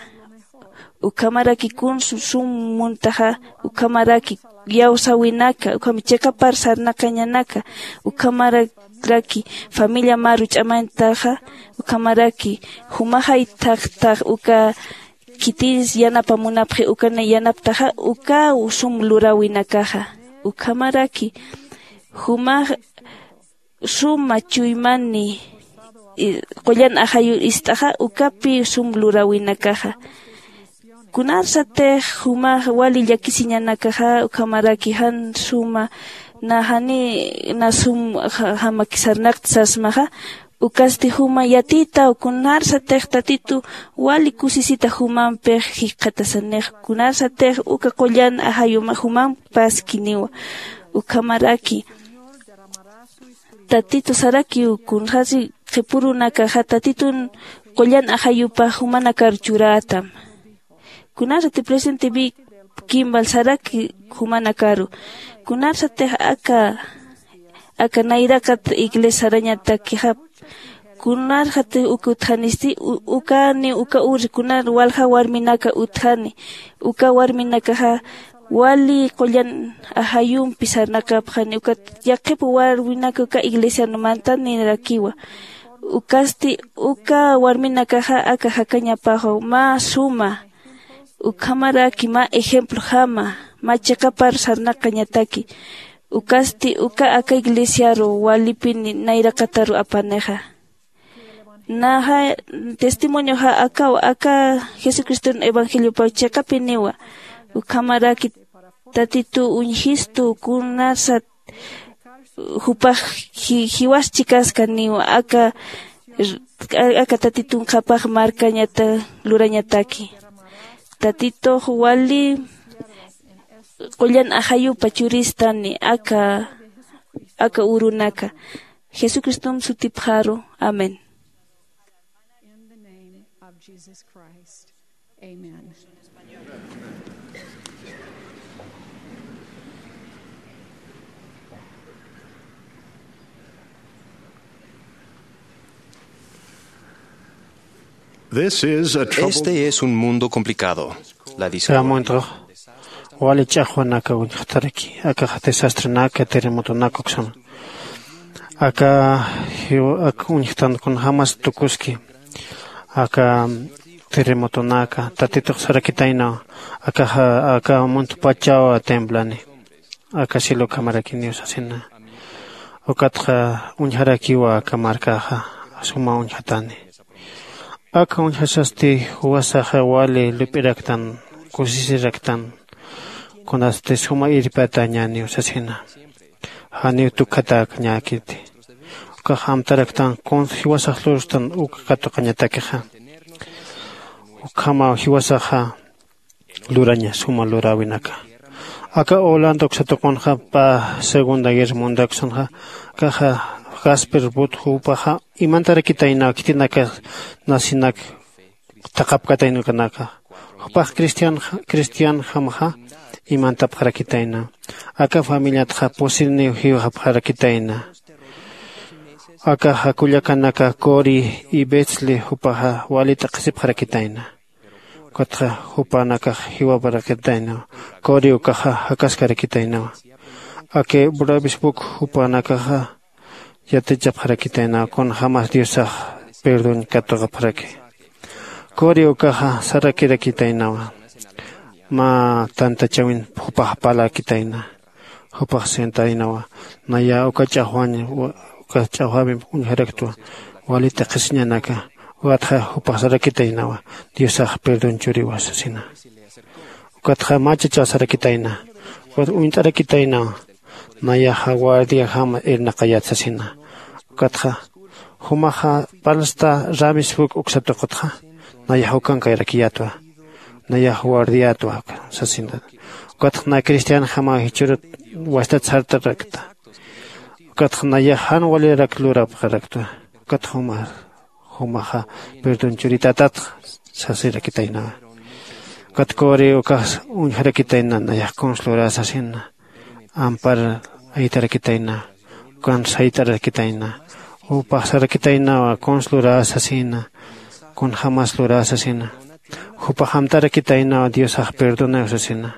Ukhamaraki kun sum muntaxa, ukhamaraki yawsawinaka ukham chiqapar sarnaqañanaka, ukhamaraki familia maru ch'amañtaxa, ukhamaraki jumaxay thaqthax uka khitins yanapa munapxi ukana yanaptaxa uka sum lurawinakaxa. Ukhamaraki jumax suma chuymani qullan ajayu ist'axa ukapi sum lurawinakaxa. Kunarsatix jumax wali llakisiñanakaxa ukhamaraki jan suma na jani na sum jamakisarnaqta sasmaxa. Ukasti juma yatitaw kunarsatix tatitu wali kusisita jumampix jikxatasanix kunarsatix uka qullan ajayuma jumamp paskiniwa. Ukhamaraki tatitu sarakiw kunxasi qhipurunakaxa tatitun qullan ajayupax jumanakar churätam. Kunarsati presente vi kimbal saraki jumanakaru kunarsatix aka aka nayraqat iglesia sarañatakixap kunarxatix uka utjanisti. Ukani uka uri kunar walja warminaka utjani uka warminakaxa wali qullan ajayumpi sarnaqapxani ukat yaqhip warminaka uka iglesian mantanirakiwa. Ukasti uka warminakaxa aka jakañapaxaw mä suma ukhamaraki mä ejemplojama mä chiqapar sarnaqañataki. Ukasti uka aka iglesiaru walipini nayraqataru apanixa. Naxa testimonioxa akaw aka jesucriston evangeliopaw chiqapiniwa. Ukhamaraki tatitu uñjistu kunasat jupax jiwas chikaskaniw aka aka tatitun qhapax markañata lurañataki. Tatitux wali qullan ajayupa churistani aka aka urunaka jesucristom sutipxaru. Amén. Este es un mundo complicado. La dice. Wali ch'axwanaka uñjtaraki akaxa desastrenaka terremotonaka uksama aka uñjtan kunjämas tukuski aka terremotonaka tatitux sarakitaynaw akaxa aka muntpachaw temblani aka cielo ukhamaraki niw sasina. Ukatxa uñjarakiwa aka markaxa suma uñjatani aka uñjasasti juwasaxa wali lup'iraktan kusisiraktan kunasti suma irpatañaniw sasina. Janiw tukjatäkañäkiti ukax amtaraktan kunsa jiwasax lurstan uka katuqañatakixa ukhamaw jiwasaxa luraña suma luräwinaka. Aka holanda uksa tuqunxa pä segunda guerra mundial uksanxa akaxa jasper but jupaxa imantarakitaynaw khitinaka nasinak thaqhapkatayna ukanaka jupax cristianjamaxa imantapxarakitayna aka familiatxa pusiniw jiwxapxarakitayna. Akaxa kullakanaka cori y betsli jupaxa wali t'aqhisipxarakitayna. Ukatxa jupanakax jiwaparakitaynawa cori ukaxa jakaskarakitaynawa aka bravisbuk jupanakaxa yatichapxarakitaynawa kunjämas diosax perdón katuqapxaraki. Cori ukaxa sarakirakitaynawa mä tantachäwin jupax parlakitayna jupax sentaynawa naya uka ch'axwañ uka ch'axwäwimp uñjaraktwa wali t'aqhisiñanaka. Ukatxa jupax sarakitaynawa diosax perdón churiwa sasina. Ukatxa mä chachaw sarakitayna ukat uñt'arakitaynawa nayaxa guardiajama irnaqayät sasina. Ukatxa jumaxa parlsta ramisbuk uksa tuqutxa nayax ukankayarakiyätwa nayax guardiätwa sasina. Ukatxa na cristianjamaw jichhürut wastat sartarakta ukatxa nayax jan walirak lurapxaraktwa. Ukatxa jumax jumaxa perdón churitatatx sasirakitaynawa. Ukat cori ukax uñjarakitayna nayax kuns lurä sasina ampar aytarakitayna ukan sayt'arakitayna jupax sarakitaynawa kuns lurä sasina kunjämas lurä sasina. Jupax amtarakitaynaw diosax perdonaw sasina.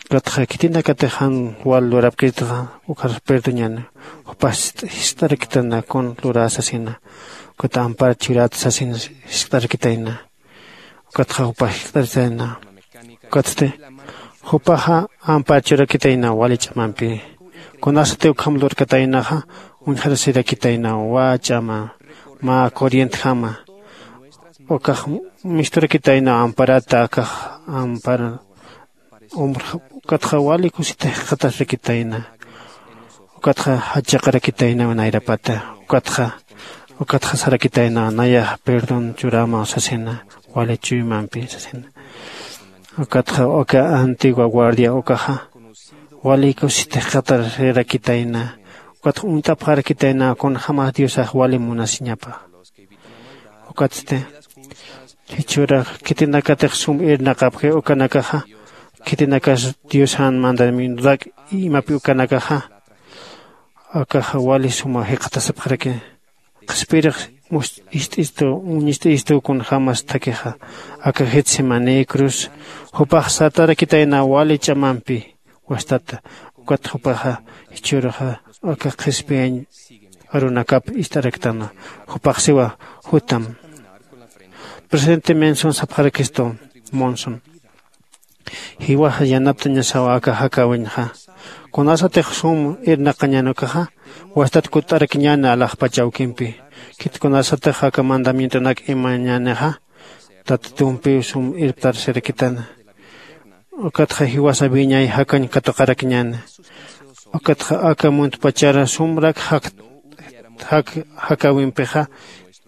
Ukatxa khitinakatix jan wal lurapkitxa ukhar perdoñäni. Jupax jist'arakitayna kun lurä sasina. Ukat ampar churat sasin jist'arakitayna. Ukatxa jupax jist'arakitayna. Ukatsti jupaxa ampar churakitayna wali ch'amampi. Kunasati ukham lurkataynaxa uñjarasirakitayna wä ch'ama mä corrientjama. Ukax misturakitayna amparata akax ampar umrja. Ukatxa wali kusita jikxatasrakitayna. Ukatxa jachaqarakitayna nayrapata. Ukatxa ukatxa sarakitayna nayax perdón churama sasina. Wali chuymampi sasina. Ukatxa uka antigua guardia ukaxa wali kusita jikxatarakitayna. Ukatxa uñt'apxarakitayna kunjämas diosax wali munasiñapa. Ukatsti jichhüra khitinakatix sum irnaqapxi ukanakaxa khitinakas diosan mandamientonak imapi ukanakaxa akaxa wali suma jikxatasipxaraki. Qhispiyirix ist'istu uñist'istu kunjämas thakixa aka getsemani cruz jupax satarakitayna wali ch'amampi. Wastata ukat jupaxa jichhüruxa aka qhispiyañ arunakap ist'araktana. Jupax siwa jutam. Presidente menson sapxarakistu monson jiwaxa yanaptañasawa aka jakäwiñxa. Kunasatix sum irnaqañänukaxa wastat kutt'arakiñäni alaxpach awkimpi. Khit kunasatix aka mandamientonak imañänixa tatitumpiw sum irptarasirakitana. Ukatxa jiwasa wiñay jakañ katuqarakiñäni. Ukatxa aka muntpachara sumrak jak jakäwimpixa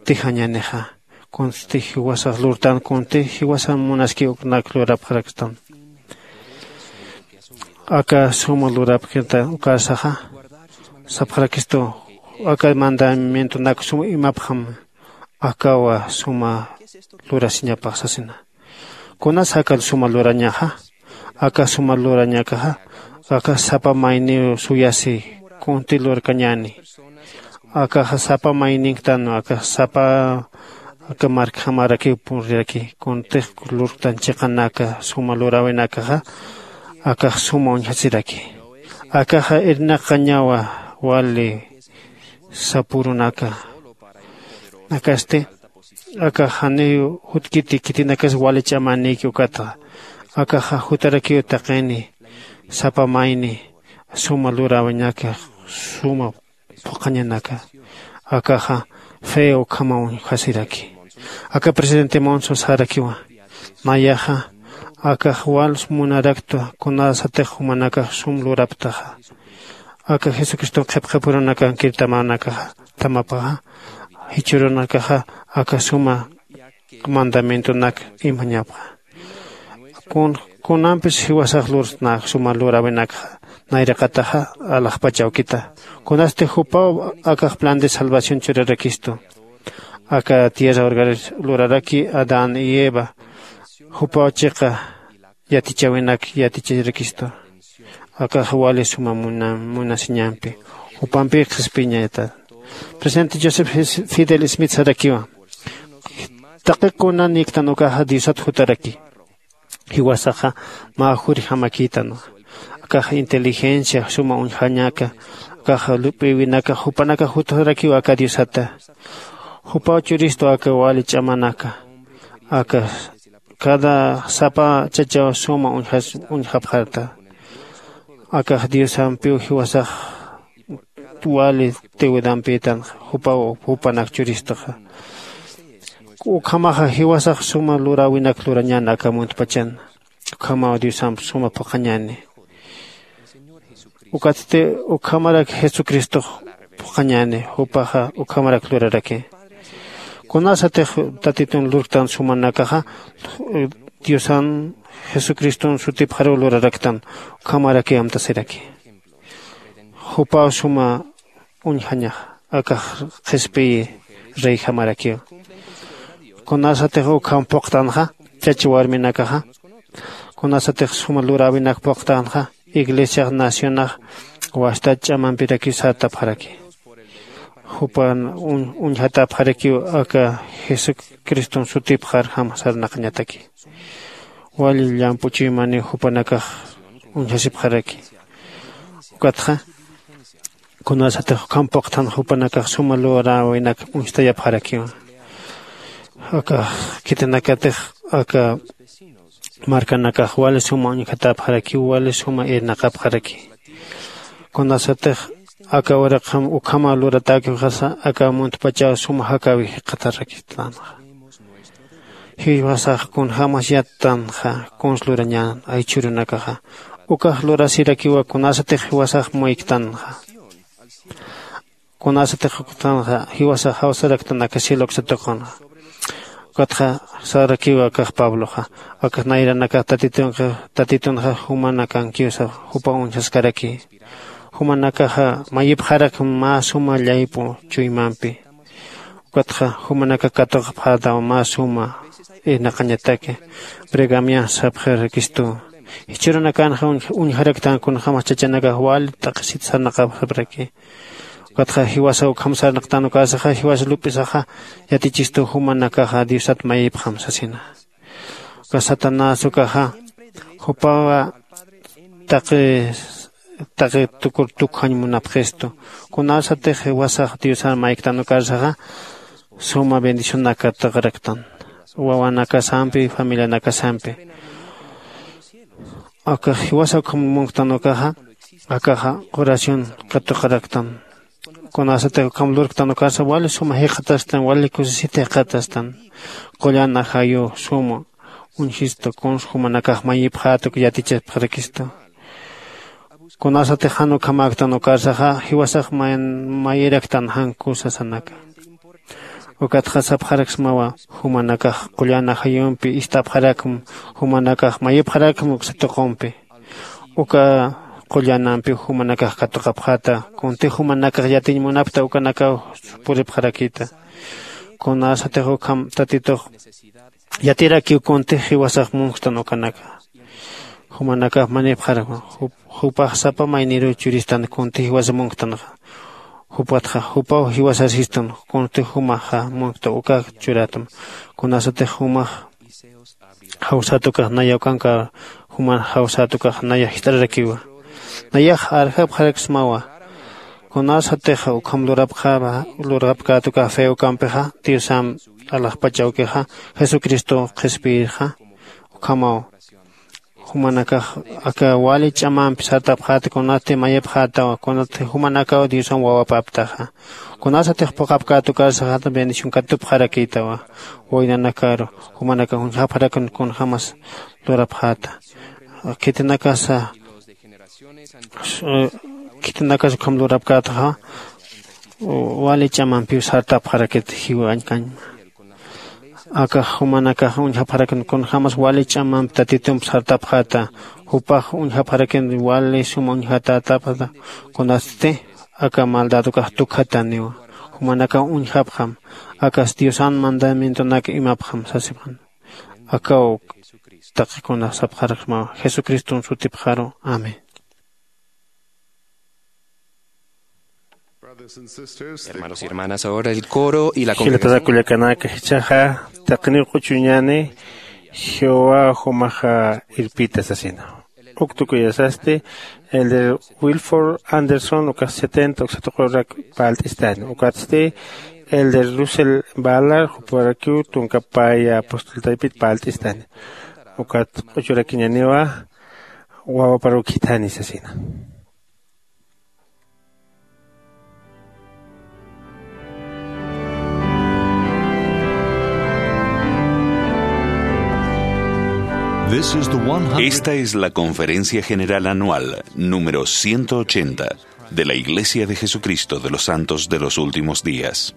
tijañänixa. Kunsti jiwasax lurtan kunsti jiwasa munaskiw uknak lurapxarakstan. Aka suma lurapkita ukarsaxa sapxarakistu aka mandamientonak suma imapxam akawa suma lurasiñapax sasina. Kunas aka suma lurañaxa aka suma lurañakaxa aka sapa mayniw suyasi kunti lurkañäni. Akaxa sapa mayninktan aka sapa aka markjamarakiw puriraki kuntix lurktan chiqanaka suma luräwinakaxa akax suma uñjasiraki. Akaxa irnaqañawa wali sapürunaka. Akasti akax janiw jutkiti khitinakas wali ch'amänïki ukatxa akaxa jutarakiw taqini sapa mayni suma luräwinaka suma phuqhañanaka. Akaxa fe ukhamaw uñjasiraki. Aka presidente monso sarakiwa nayaxa akax wals munaraktwa kunasatix jumanakax sum luraptaxa aka jesucriston qhipqhipurunakankir tamanakaxa tamapaxa jichhürunakaxa aka suma mandamientonak imañapxa. Kunampis jiwasax lurtnak suma luräwinakxa nayraqataxa alaxpach awkita. Kunasti jupaw akax plan de salvación churarakistu aka tierra urgarir luraraki adán y eva jupaw chiqa yatichäwinak yaticharakistu. Akax wali suma munasiñampi jupampï qhispiñata. Presidente joseph fidel smith sarakiwa taqi kuna niktan ukaxa diosat jutaraki. Jiwasaxa mä jurjamakïtanwa. Akaxa inteligencia suma uñjañaka akaxa lup'iwinaka jupanakax jutarakiwa aka diosata. Jupaw churistu aka wali ch'amanaka aka cada sapa chachaw suma uñjapxarta. Akax diosampiw jiwasax wali tiwidampïtanxa jupaw jupanak churistuxa. Ukhamaxa jiwasax suma luräwinak lurañän aka muntpachan. Ukhamaw diosamp suma phuqhañäni. Ukatsti ukhamarak jesucristox phuqhañäni jupaxa ukhamarak luraraki. Kunasatix tatitun lurktan sumanakaxa diosan jesucriston sutipxaruw luraraktan. Ukhamaraki amtasiraki jupaw suma uñjañax akax qhispiyi reyjamarakiw. Kunasatix ukham phuqtanxa chach warminakaxa kunasatix suma luräwinak phuqtanxa iglesiax nacionax wasta ch'amampirakiw sartapxaraki. jupan uñjatapxarakiw aka jesucriston sutipxarjam sarnaqañataki. Wali llamp'u chuymaniw jupanakax uñjasipxaraki. Ukatxa kunasatix ukham puqthan jupanakax suma luräwinak uñstayapxarakiwa. Aka khitinakatix aka markanakax wali suma uñjatapxarakiw wali suma irnaqapxaraki. Kunasatix aka uraqam ukhama luratäkiwxasa aka muntpachaw suma jakäwi jikxatarakistänxa. Jiwasax kunjämas yattanxa kuns lurañän aychhürunakaxa. Ukax lurasirakiwa kunasatix jiwasax muyktanxa. Kunasatix uktanxa jiwasax jawsaraktan aka cielo uksa tuqunxa. Ukatxa sarakiwa akax pabloxa akax nayranakax tatitunxa tatitunxa jumanakankiwsa jupa uñjaskaraki. Jumanakaxa mayipxarakma mä suma llaypu chuymampi. Ukatxa jumanakax katuqapxätaw mä suma irnaqañataki. Pergamian sapxirakistuw jichhürunakanxa uñjaraktan kunjämas chachanakax wali t'aqhisit sarnaqapxapraki. Ukatxa jiwasa ukham sarnaqtan ukarsaxa jiwasa lup'isaxa yatichistuw jumanakaxa diosat mayipxam sasina. Uka satanás ukaxa jupawa taqi taqi tukur tukjañ munapxistu. Kunasatix jiwasax diosan mayktan ukarsaxa suma bendicionakat tuqraktan wawanakasampi familianakasampi. Akax jiwasa ukham munktan ukaxa akaxa oración katuqaraktan. Kunasatix ukham lurktan ukarsa wali suma jikxatastan wali kusisita jikxatastan. Qullan ajayuw suma uñjistu kuns jumanakax mayipxäta uk yatichapxarakistu. Kunasatix jan ukhamäktan ukarsaxa jiwasax mayiraktan jan kusasanaka. Ukatxa sapxaraksmawa jumanakax qullan ajayumpi ist'apxarakm jumanakax mayipxarakm uksa tuqumpi. Uka qullanampiw jumanakax katuqapxäta. Kuntix jumanakax yatiñ munapkta ukanakaw puripxarakïta. Kunasatix ukham tatitux yatirakiw kuntix jiwasax munkstan ukanaka. Jumanakax manipxarakma jupax sapa mayniruw churistan kuntix jiwasa munktanxa. Jupatxa jupaw jiwasasistan kuntix jumaxa munkta ukax churätma. Kunasatix jumax jawsät ukax naya ukanka juman jawsät ukax naya jist'ararakiwa. Nayax arjapxaraksmawa. Kunasatix ukham lurapxäpa lurapkät ukax fe ukampixa diosam alaxpach awkixa jesucristo qhispiyirxa. Ukhamaw jumanakax aka wali ch'amampi sartapxäta kunatsti mayipxätawa kunatsti jumanakaw diosan wawapaptaxa. Kunasatix puqapkät ukarsaxata bendición katupxarakïtawa. Waynanakaru jumanakax uñjapxarakun kunjämas lurapxäta. Khitinakasa khitinakas ukham lurapkätxa wali ch'amampiw sartapxarakit jiwañkañma. Akax jumanakax uñjapxarakin kunjämas wali ch'amamp tatitump sartapxäta. Jupax uñjapxarakin wali suma uñjatätapxäta. Kunatsti aka maldad ukax tukjatäniwa. Jumanakax uñjapxam akas diosan mandamientonak imapxam sasipxan. Akaw taqi kunax sapxaraksmawa jesucriston sutipxaru. Amén. Hermanos y hermanas, ahora el coro y la congregación. Jilatanakullakanaka jichhaxa taqiniw q'uchuñani jehová jumaxa irpita sasina. Uk tukuyasasti elder wilford anderson ukax setenta uksatuqurak palt'istani ukatsti elder russell balar juparakiw tunka paya apostoltaypit palt'istani. Ukat q'uchurakiñaniwa wawaparuw khithani sasina. Esta es la Conferencia General Anual número ciento ochenta de la Iglesia de Jesucristo de los Santos de los Últimos Días.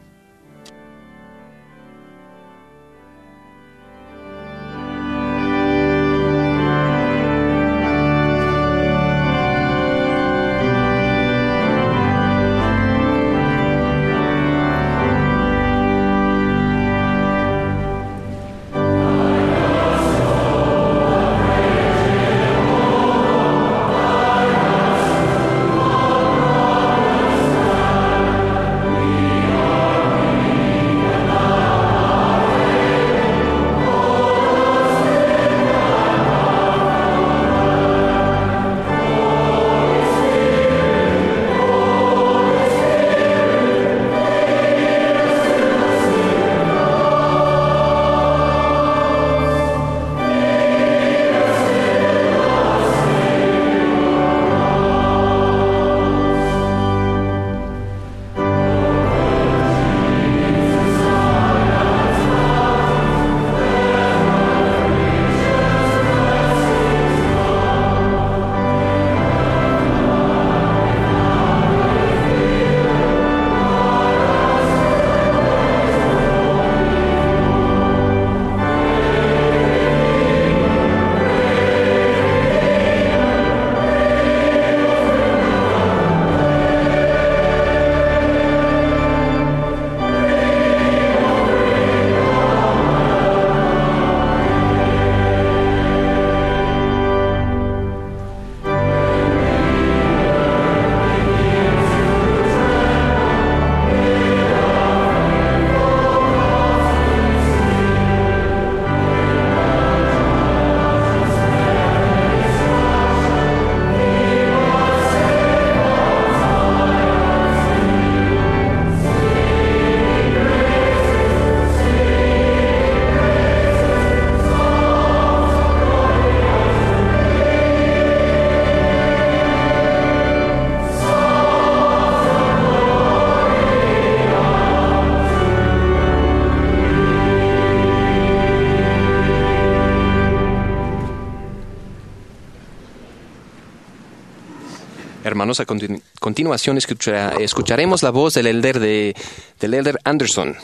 Hermanos, a continu- continuación escucha- escucharemos la voz del elder de, del elder Anderson.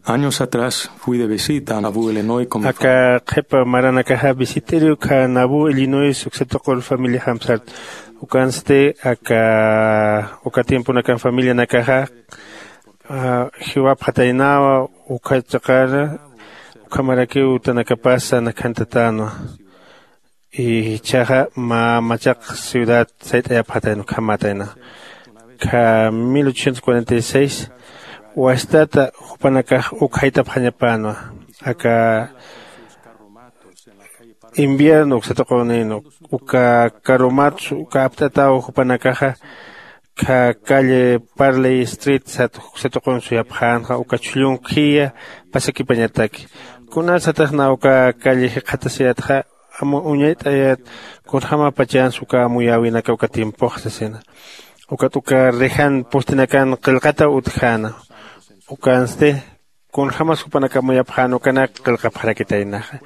Años atrás fui de visita a Nauvoo, Illinois con mi familia. Aka qhipa maranakaxa visit'iri uka Nauvoo, Illinois uksa tuqur familia jamsart. Ukansti aka uka tiemponakan familianakaxa jiwapxataynawa. Uka chiqana ukhamarakiw utanakapasa nakhantatänwa. Ichaxa mä machaq ciudad sayt'ayapxatayna ukhamätayna. Kha mil ochocientos cuarenta y seis wastata jupanakax uk jayt'apxañapänwa. Aka invierno uksatuqunïn uka karumatsu uka apt'ataw jupanakaxa kha calle Parley Street sat uksatuqun suyapxänxa uka chhullun khiya pasakipañataki. Kunasataxna uka calle jikxatasiyatxa amu uñayt'ayat kunjämapachans uka amuyäwinaka uka tiempox sasina. Ukat uka rejan postinakan qillqataw utjäna. Ukansti kunjämas jupanak amuyapxän ukanak qillqapxarakitaynaxa.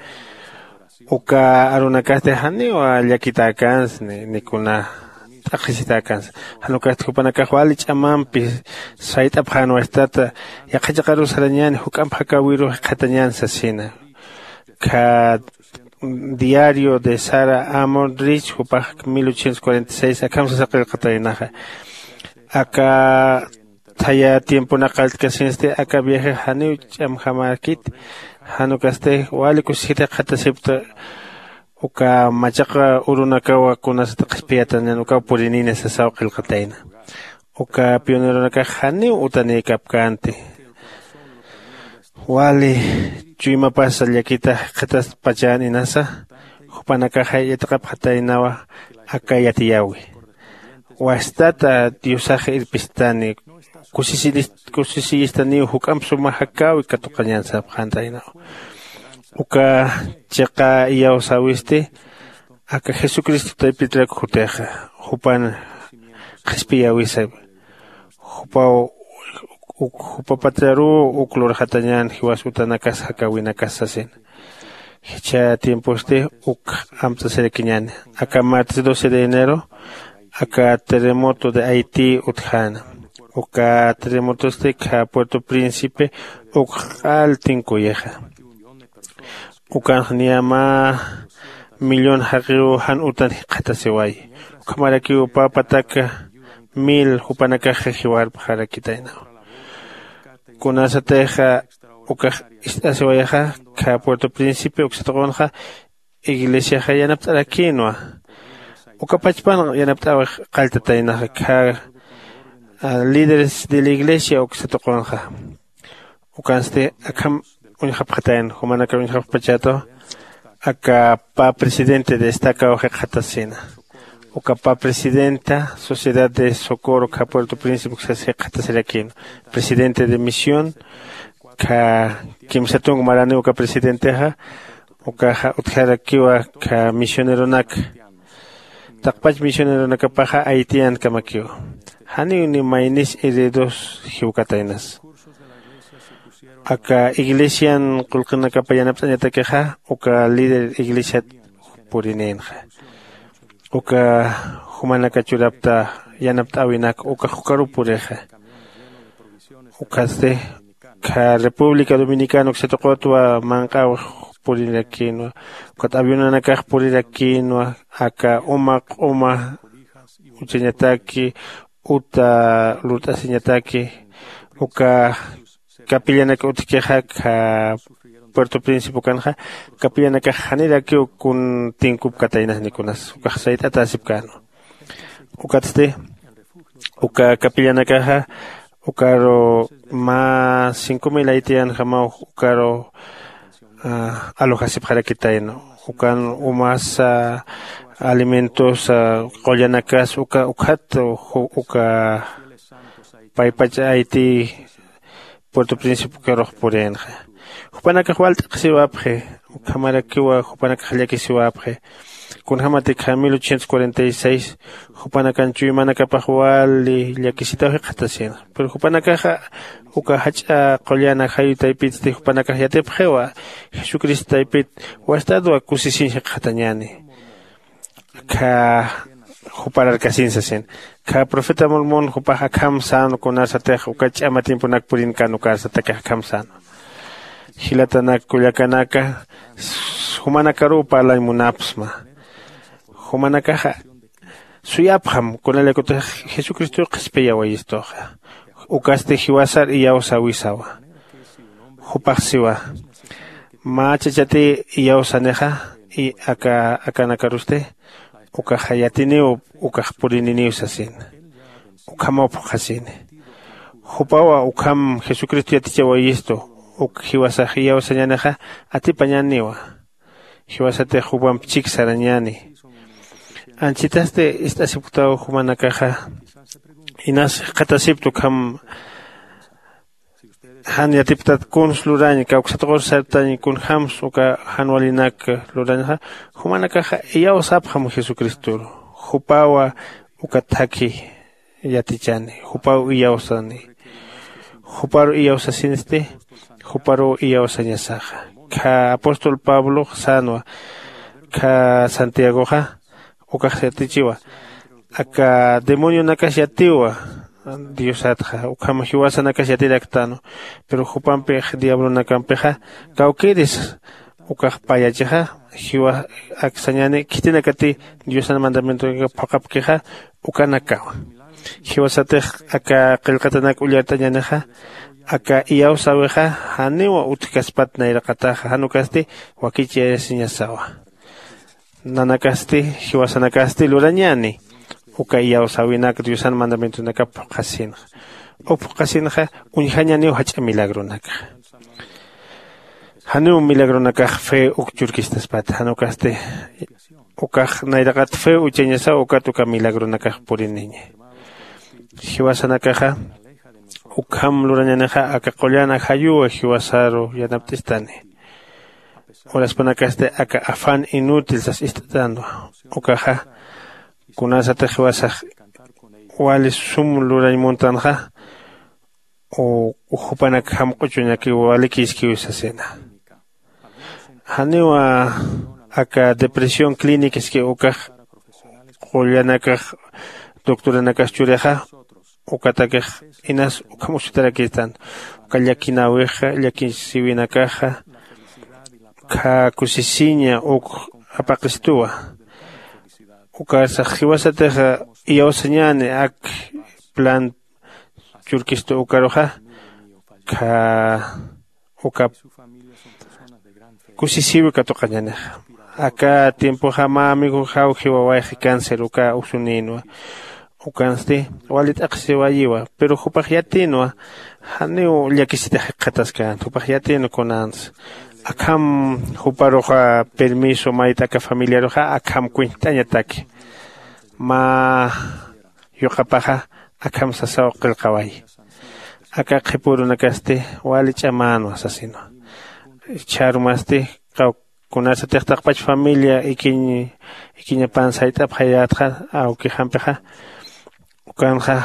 Uka arunakasti janiw llakitäkänsa ni kuna t'aqhisitäkänsa. Jan ukasti jupanakax wali ch'amampi sayt'apxän wastata yaqha chiqaruw sarañäni juk'amp jakäwiruw jikxatañän sasina. Kha diario de Sarah Amon Rich jupax mil ochocientos cuarenta y seis akham sasa qillqataynaxa. Aka thaya tiemponak qalltkasinsti aka viajex janiw ch'amjamäkiti. Jan ukasti wali kusisita jikxatasipkta uka machaq urunakaw kunasat qhispiyatañän ukaw purinïna sasaw qillqatayna. Uka pioneronakax janiw utanïkapkänti. Wali chuymapasa llakita jikxataspachän inasa jupanakaxa yatiqapxataynawa aka yatiyäwi. Wastata diosax irpistani kusisiyistaniw juk'amp suma jakäwi katuqañän sapxäntaynaw. Uka chiqa iyawsäwisti aka jesucristo taypitrak jutixa jupan qhispiyäwisawi. Jupaw uk jupa patraruw uk lurxatañän jiwas utanakas jakäwinakas sasina. Jichha tiemposti uk amt'asirakiñäni. Aka martes doce de enero aka terremoto de haití utjäna. Uka terremotosti kha puerto príncipe uk q'al tinkuyixa. Ukanx niya mä millón jaqiw jan utan jikxatasiwayi. Ukhamarakiw pä pataka mil jupanakaxa jiwarpxarakitaynaw. Kunasatixa ukax ist'asiwayaxa kha puerto príncipe uksatuqunxa iglesiaxa yanapt'arakïnwa. Uka pachpan yanapt'äwix qalltataynaxa kha líderes de la iglesia uksatuqunxa. Ukansti akham uñjapxatayan jumanaka uñjapxpachätaw. Aka pä presidente de estacaw jikxatasina. Uka pä presidenta sociedad de socorro kha puerto príncipe uksas jikxatasirakïn. Presidente de misión kha kimsa tunk marani uka presidentexa ukaxa utjarakiwa kha misioneronak. Taqpach misioneronakapaxa haitiankamakiwa. Janiw ni maynis heridos jiwkataynas. Aka iglesian qullqinakapa yanapt'añatakixa uka líder iglesiat purinïnxa. Uka jumanaka churapta yanapt'äwinak ukax ukaruw purixa. Ukatsti kha república dominicana uksatuqutwa manq'äwix purirakïnwa. Ukat avionanakax purirakïnwa aka uma q'uma uchañataki uta lurt'asiñataki uka capillanaka utjkixa kha puerto príncipe ukanxa capillanakax janirakiw kun tinkupkataynas nikunas ukax sayt'atäsipkänwa. Ukatsti uka capillanakaxa ukaru mä cinco mil haitianjamaw ukaru alojasipxarakitayna. Ukan umasa alimentosa qullanakas uka ukhat uka paypach haití puerto príncipe ukarux purïnxa. Jupanakax wal t'aqhisiwapxi ukhamarakiwa jupanakax llakisiwapxi. Kunjämatikxa mil ochocientos cuarenta y seis jupanakan chuymanakapax wali llakisitaw jikxatasïnxa. Pero jupanakaxa uka jach'a qullana jayu taypitsti jupanakax yatipxiwa jesucristo taypit wastatwa kusisiñ jikxatañäni. Kha jupararkasin sasin. Kha profeta Mormon jupax akham sän kunasatix uka ch'ama tiemponak purinkan ukarsatakix akham sän. Jilatanak kullakanaka, jumanakaruw parlañ munapxsma. Jumanakaxa suyapxam kunalaykutix jesucristow qhispiyawayistuxa. Ukasti jiwasar iyawsäwisawa. Jupax siwa, mä chachati iyawsanixa, aka akanakarusti ukaxa yatiniw ukax purininiw sasin. Ukhamaw phuqhasini. Jupawa ukham jesucristo yatichawayistu. Uk jiwasax iyawsañänixa atipañäniwa. Jiwasatix jupamp chik sarañäni. Anchitasti ist'asipktaw jumanakaxa inas jikxatasipkta ukham jan yatipktat kuns lurañ kawksat q'ur sartañ kunjämsa uka jan walinak lurañxa. Jumanakaxa iyawsapxam jesucristoru. Jupawa uka thakhi yatichani. Jupaw iyawsani. Juparu iyawsasinsti. Juparuw iyawsañasaxa. Kha apóstol pablox sänwa. Kha santiagoxa ukax yatichiwa. Aka demonionakas yatiwa diosatxa ukham jiwasanakas yatiraktänwa. Pero jupampix diablonakampixa kawkïris ukax payachixa. Jiwa aksañäni khitinakati diosan mandamientonaka phuqhapkixa ukanakawa. Jiwasatix aka qillqatanak ullart'añänixa aka iyawsäwixa janiw utjkaspat nayraqataxa jan ukasti wakichayasiñasawa. Nanakasti jiwasanakasti lurañäni uka iyawsäwinak diosan mandamientonakap phuqhasinxa. Uk phuqhasinxa uñjañäniw jach'a milagronakxa. Janiw milagronakax fe uk churkistaspat jan ukasti ukax nayraqat fe uchañasaw ukat uka milagronakax puriniña. Jiwasanakaxa ukham lurañänixa aka qullan ajayuwa jiwasaru yanapt'istani. Uraspanakasti aka afán inútil sas ist'atänwa. Ukaxa kunasatix jiwasax wali sum lurañ muntanxa jupanak jamq'uchuñakiw walikïskiw sasina. Janiwa aka depresión clínicaski ukax qullanakax doctoranakas churixa ukatakix inas ukham usutarakistan. Uka llakinäwixa llakisiwinakaxa kha kusisiña uk apaqistuwa. Ukarsax jiwasatix iyawsañäni ak plan churkistu ukaruxa kha uka kusisiwi katuqañänixa. Aka tiempoxa mä amigoxaw jiwawayxi cáncer uka usunïnwa. Ukansti wali t'aqhisiwayiwa pero jupax yatïnwa. Janiw llakisitix jikxataskänti jupax yatïnwa kunänsa. Akham juparuxa permiso mayt'aka familiaruxa akham kuñt'añataki. Mä yuqapaxa akham sasaw qillqawayi. Aka qhipürunakasti wali ch'amänwa sasinwa. Chharumasti kunasatix taqpach familia ikiñ ikiñapan sayt'apxayätxa awkixampixa ukanxa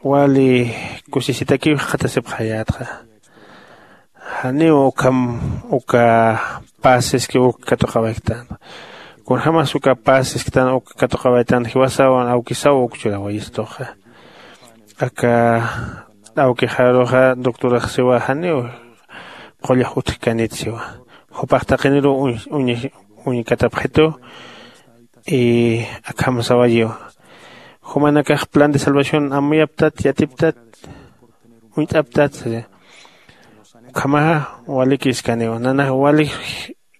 wali kusisitakiw jikxatasipxayätxa. Janiw ukham uka paz siski uk katuqawayktänxa. Kunjämas uka paz sisktan uk katuqawaytan jiwasawan awkisaw uk churawayistuxa. Aka awkixaruxa doctorax siwa janiw qullax utjkanit siwa. Jupax taqiniruw uñkatapxitu. Akham sawayiw jumanakax plan de salvación amuyaptat yatiptat uñt'aptat. Ukhamaxa walikïskaniwa nanax wali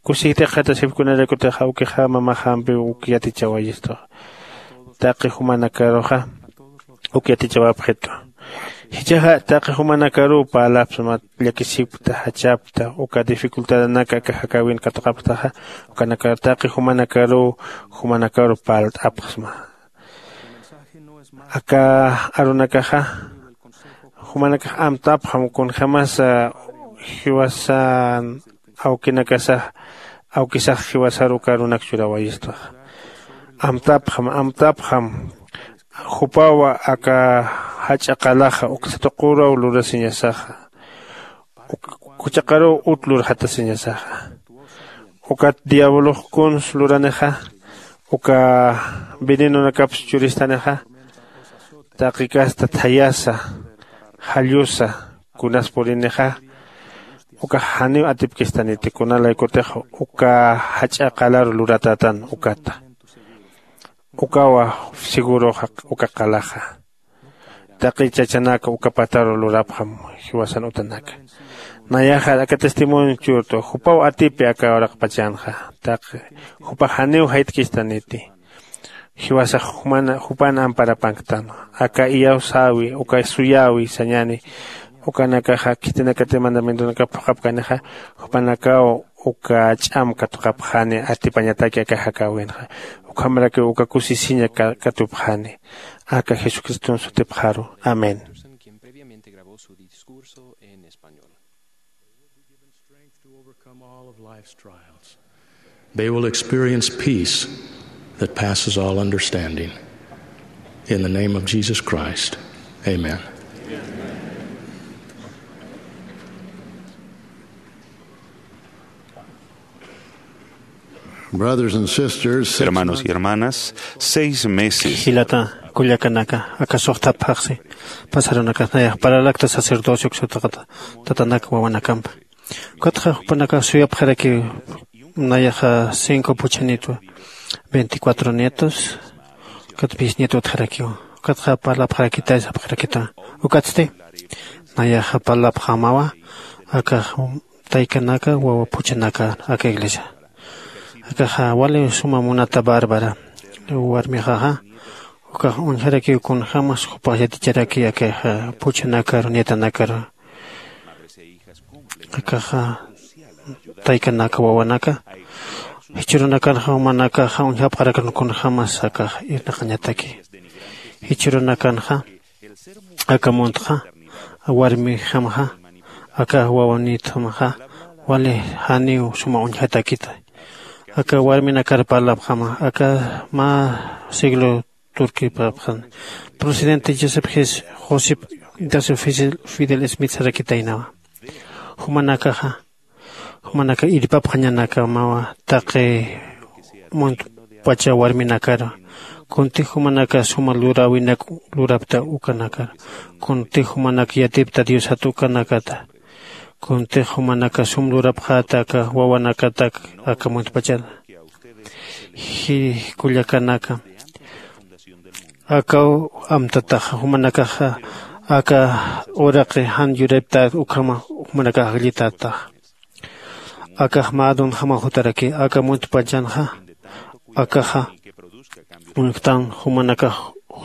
kusisitix jikxatasipki kunaraykutix awkixa mamaxampiw uk yatichawayistu. Taqi jumanakaruxa uk yatichawapxitu. Jichhaxa taqi jumanakaruw parlapxsma llakisipkta jachapkta uka dificultadanaka aka jakäwin katuqapktaxa. Ukanakar taqi jumanakaruw jumanakaruw parlt'apxsma. Aka arunakaxa jumanakax amtapxam kunjämasa jiwasan awkinakasax awkisax jiwasar uka arunak churawayistuxa. Amtapxam amtapxam jupawa aka jach'a qalaxa uksa tuqüruw lurasiñasaxa. Juchaqaruw ut lurxatasiñasaxa. Ukat diablox kuns luranixa Uka venenonakaps churistanixa, taqi kasta thayasa, jallusa, kunas purinixa, uka janiw atipkistaniti, kunalaykutix uka jach'a qalar luratätan ukata. Ukawa seguroxa uka qalaxa. Taqi chachanaka uka pataru lurapxam jiwasan utanaka. Nayaxa aka testimonio churtu, jupaw atipi aka uraqpachanxa. Taqi jupax janiw jaytkistaniti. Jiwasax juman, jupan amparapanktan. Aka iyawsäwi, uka suyäwi sañäni, ukanakaxa khitinakati mandamientonakap phuqhapkanixa, jupanakaw uka ch'am katuqapxani, atipañataki aka jakäwinxa. Ukhamrakiw uka kusisiña ka-, katupxani. Aka Jesucriston sutipxaru. Amén. They will experience peace that passes all understanding. In the name of Jesus Christ, amen. Brothers and sisters, six Hermanos y months hermanas, seis meses. Jilata kullakanaka, aka suxtapxaxsi pasarunakax nayax paralakta sacerdocio uksataqata, tatanak wawanakampa. Ukatxa jupanakax suyapxarakiw nayaxa cinco puchanitwa, veinticuatro nietos, ukat bisnieto utjarakiw. Ukatxa parlapxarakitay sapxarakita. Ukatsti nayaxa parlapxämawa, akax taykanaka, wawa puchanaka aka iglesia. Akaxa wali suma munata Bárbara warmixaxa, ukax uñjarakiw kunjämas jupax yaticharaki akaxa puchanakaru, nietanakaru. Akaxa taykanaka, wawanaka, jichhürunakanxa jumanakaxa uñjapxarakan kunjämas akax irnaqañataki. Jichhürunakanxa aka muntxa, warmijamxa, aka wawanitjamxa wali janiw suma uñjatakita. Aka warminakar parlapxäma, aka mä siglo turkipapxan. Presidente Joseph Ges-, Joseph, Joseph Fidel, Fidel Smith sarakitaynawa. Jumanakaxa, jumanaka irpapxañanakamawa taqi muntpacha warminakar. Kuntix jumanaka suma luräwinak lurapta ukanakar. Kuntix jumanak yatipta Diosat ukanakata. Kuntix jumanaka sum lurapxäta aka wawanakatak aka muntpachana. Ji-, kullakanaka, akaw amtataxa, jumanakaxa aka uraqi jan yuriptät ukhama jumanakax akllitätaxa. Akax mä donjamaw jutaraki, aka muntpachanxa, akaxa uñjtan jumanakax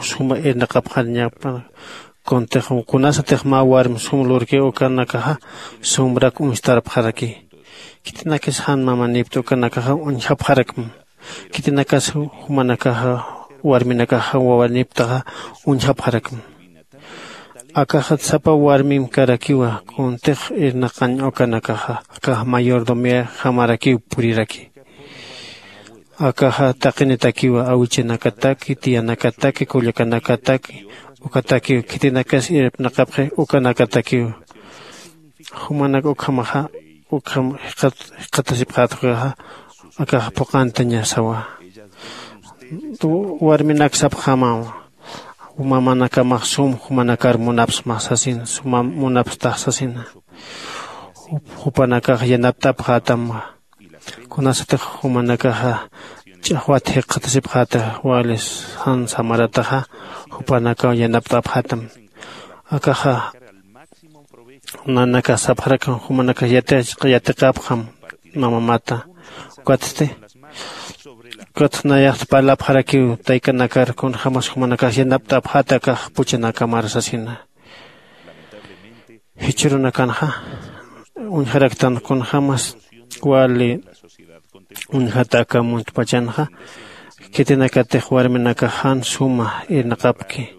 suma irnaqapxañapa. Kuntix kunasatix mä warm sum lurki ukanakaxa sumrak uñstarapxaraki. Khitinakis jan mamanipta ukanakaxa uñjapxarakma. Khitinakas jumanakaxa, warminakaxa wawaniptaxa uñjapxarakma. Akaxa sapa warmim karakiwa, kuntix irnaqañ ukanakaxa, akax mayordomía jamarakiw puriraki. Akaxa taqinitakiwa, awichanakataki, tiyanakataki, kullakanakataki, ukatakiw, khitinakas irpnaqapxi ukanakatakiw. Jumanak ukhamaxa, ukham jikxat-, jikxatasipxätxa, akax phuqantañasawa. Warminak sapxämawa, mamanakamax sum jumanakar munapsma sasina, suma munapstax sasina. Jup-, jupanakax yanapt'apxätam. Kunasatix jumanakaxa ch'axwat jikxatasipxäta, wali jan samarataxa, jupanakaw yanapt'apxätam. Akaxa nanakax sapxarakam, jumanakax yati-, yatiqapxam mamamata. Ukatsti, ukat nayaxt parlapxarakiw taykanakar, kunjämas jumanakax yanapt'apxäta akax puchanakamar sasina. Jichhürunakanxa uñjaraktan kunjämas wali uñjata aka muntpachanxa, khitinakatix warminakax jan suma irnaqapki.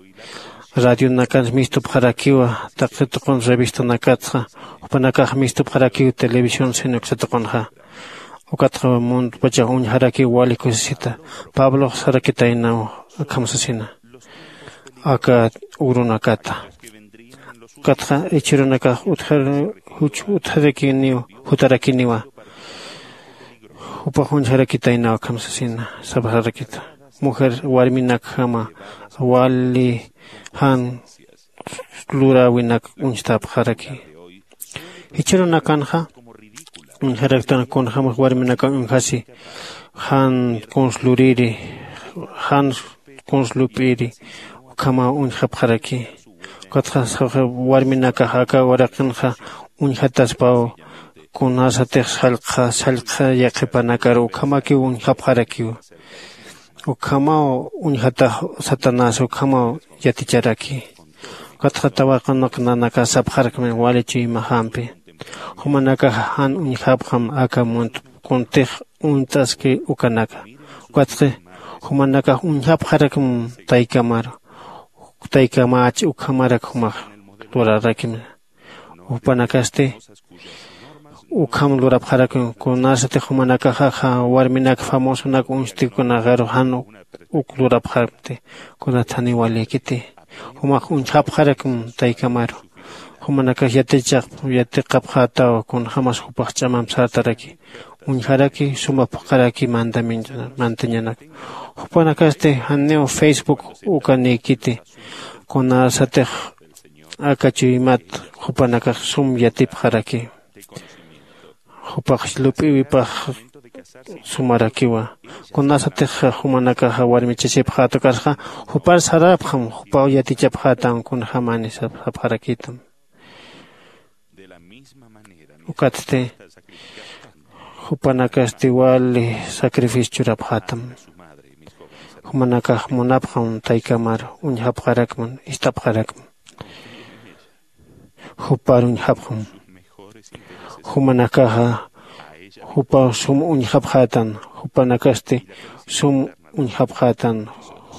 Radionakansa mistupxarakiwa, taqi tuqin revistanakatxa, jupanakax mistupxarakiw televisión sino uksa tuqinxa. Ukatxa muntpachax uñjarakiw wali kusisita. Pablox sarakitaynaw akham sasina aka urunakata. Ukatxa jichhürunakax utjar-, juch-, utjarakiniw, jutarakiniwa. Jupax uñjarakitaynaw akham sasina sapxarakita. Mujer warminakjama wali jan luräwinak uñstapxaraki. Jichhürunakanxa uñjaraktan kunjämas warminakan uñjasi jan kuns luriri, jan kuns lup'iri ukhamaw uñjapxaraki. Ukatxa warminakax aka uraqinxa uñjataspaw kunasatix sallqxa sallqxa yaqhipanakaru ukhamakiw uñjapxarakiwa. Ukhamaw uñjatax satanás ukhamaw yaticharaki. Ukatxa tawaqunaq nanakax sapxarakmi wali chuymajampi jumanakax jan uñjapxam aka munt kuntix uñt'aski ukanaka. Ukatxi jumanakax uñjapxarakm taykamaru taykamach ukhamarak jumax lurarakimna. Jupanakasti ukham lurapxarakun kunasatix jumanakaxaxa warminak famosonak uñstikunaxaru jan uk lurapxarakti. Kunataniw walïkiti jumax uñjapxarakun taykamaru. Jumanakax yatichaq yatiqapxätaw kunjämas jupax ch'amamp sartaraki uñjaraki suma phuqharaki mandamiento mantañanak. Jupanakasti janiw facebook ukanïkiti kunasatix aka chuymat jupanakax sum yatipxaraki. Jupax lup'iwipax sumarakiwa. Kunasatix jumanakaxa warmichasipxäta ukasxa jupar sarapxam jupaw yatichapxätam kunjämani sapxarakitam. Ukatsti jupanakasti wali sacrificio churapxätam. Jumanakax munapxam taykamar uñjapxarakman ist'apxarakman. Jupar uñjapxam jumanakaxa jupaw sum uñjapxätan. Jupanakasti sum uñjapxätan.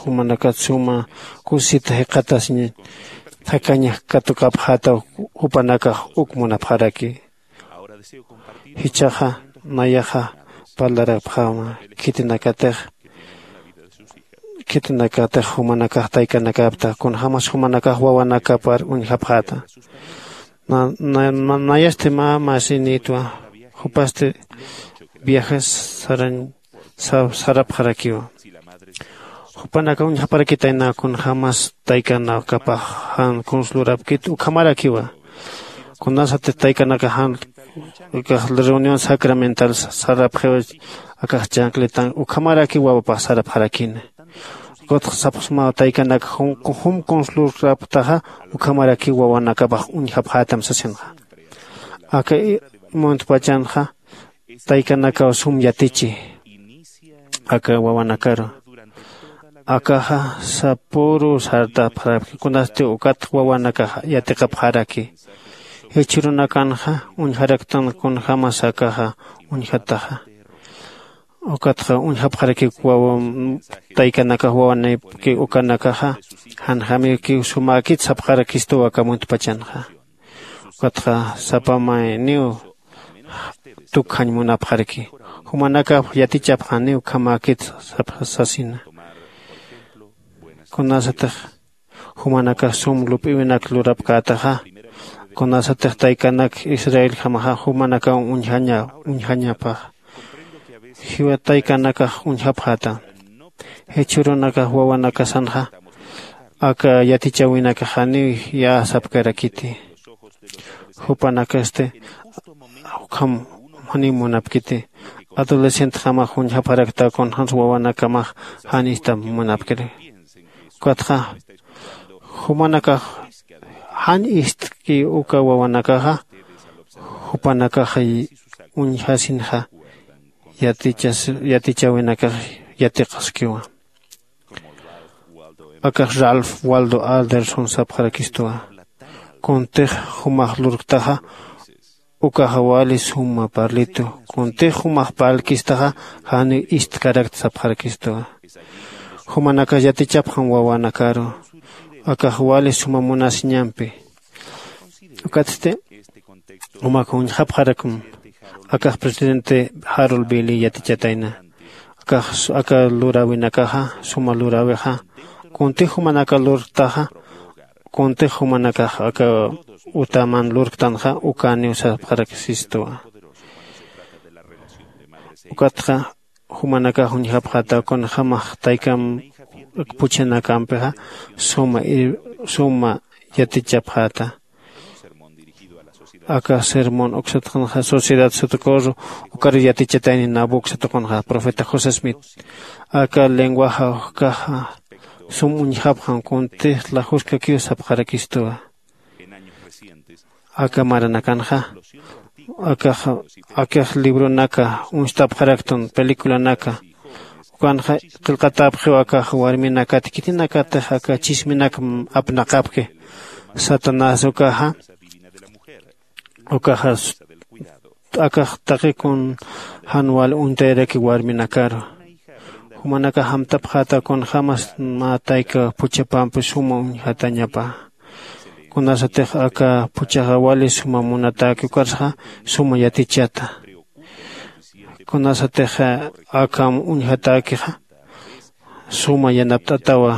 Jumanakat suma kusisita jiqatasiñ jakañak katukapxätaw jupanakax uk munapxaraki. Jichhaxa nayaxa parlarapxäma khitinakatix khitinakatix jumanakax taykanakapta kunjämas jumanakax wawanakapar uñjapxäta. Nayasti mä masinïtwa jupasti viajes sarañ sarapxarakiwa. Jupanakax uñjaparakitayna kunjämas taykanakapax jan kuns lurapkit ukhamarakiwa. Kunasatix taykanakax jan akax reunión sacramental sarapxiw akax chancletan ukhamarakiw wawapax sarapxarakina. Ukatxa sapxsmaw taykanakax jum kuns lurapktaxa ukhamarakiw wawanakapax uñjapxätam sasinxa. Aka muntpachanxa taykanakaw sum yatichi aka wawanakaru. Akaxa sapüru sartapxaraki kunasti ukat wawanakax yatiqapxaraki. Jichhürunakanxa uñjaraktan kunjämas akaxa uñjataxa. Ukatxa uñjapxarakiw wawa taykanakax wawanipki ukanakaxa janjämikiw sumäkit sapxarakistuw aka muntpachanxa. Ukatxa sapa mayniw tukjañ munapxaraki. Jumanakax yatichapxaniw ukhamäkit sasina. Kunasatix jumanakax sum lup'iwinak lurapkätaxa kunasatix taykanak israeljamaxa jumanakaw uñjañapaxa. Jiwat taykanakax uñjapxäta. Jichhürunakax wawanakasanxa aka yatichäwinakax janiw yäsapkarakiti. Jupanakasti ukham janiw munapkiti. Adolescentjamax uñjapxarakta kunjämas wawanakamax jan istam munapkiri. Ukatxa jumanakax jan istki uka wawanakaxa jupanakaxa uñjasinxa yatichäwinakax yatiqaskiwa. Akax ralph waldo alderson sapxarakistuwa. Kuntix jumax lurktaxa ukaxa wali suma parlitu. Kuntix jumax parlkistaxa janiw istkarakt sapxarakistuwa. Jumanakax yatichapxam wawanakaru akax wali suma munasiñampi. Ukatsti jumak uñjapxarakm akax presidente jarol bili yatichatayna. Akax aka luräwinakaxa suma luräwixa kuntix jumanaka lurktaxa kuntix jumanakax aka utaman lurktanxa ukaniw sapxaraksistwa. Ukatxa jumanakax uñjapxäta kunjämax taykam puchhanakampixa suma ir- suma yatichapxäta. Aka sermón uksatqanxa sociedad satukur ukar yatichatayni nabu uksatuqanxa profeta josé smith. Aka lenguaxa ujkaxa sum uñjapxam kuntix lajuskakiw sapxarakistuwa. Aka maranakanxa akax akax libronaka uñstapxaraktan peliculanaka ukanxa qillqatäpxiw akax warminakat khitinakatix aka chisminak apnaqapki. Satanás ukaxa ukaxa akax taqi kun jan wal uñtayaraki warminakaru. Jumanakax amtapxäta kunjämas mä tayka phuchhapampi suma uñjatañapa. Kunasatix aka phuchhaxa wali suma munatäki ukarsaxa suma yatichata. Kunasatix akham uñjatäkixa suma yanapt'atawa.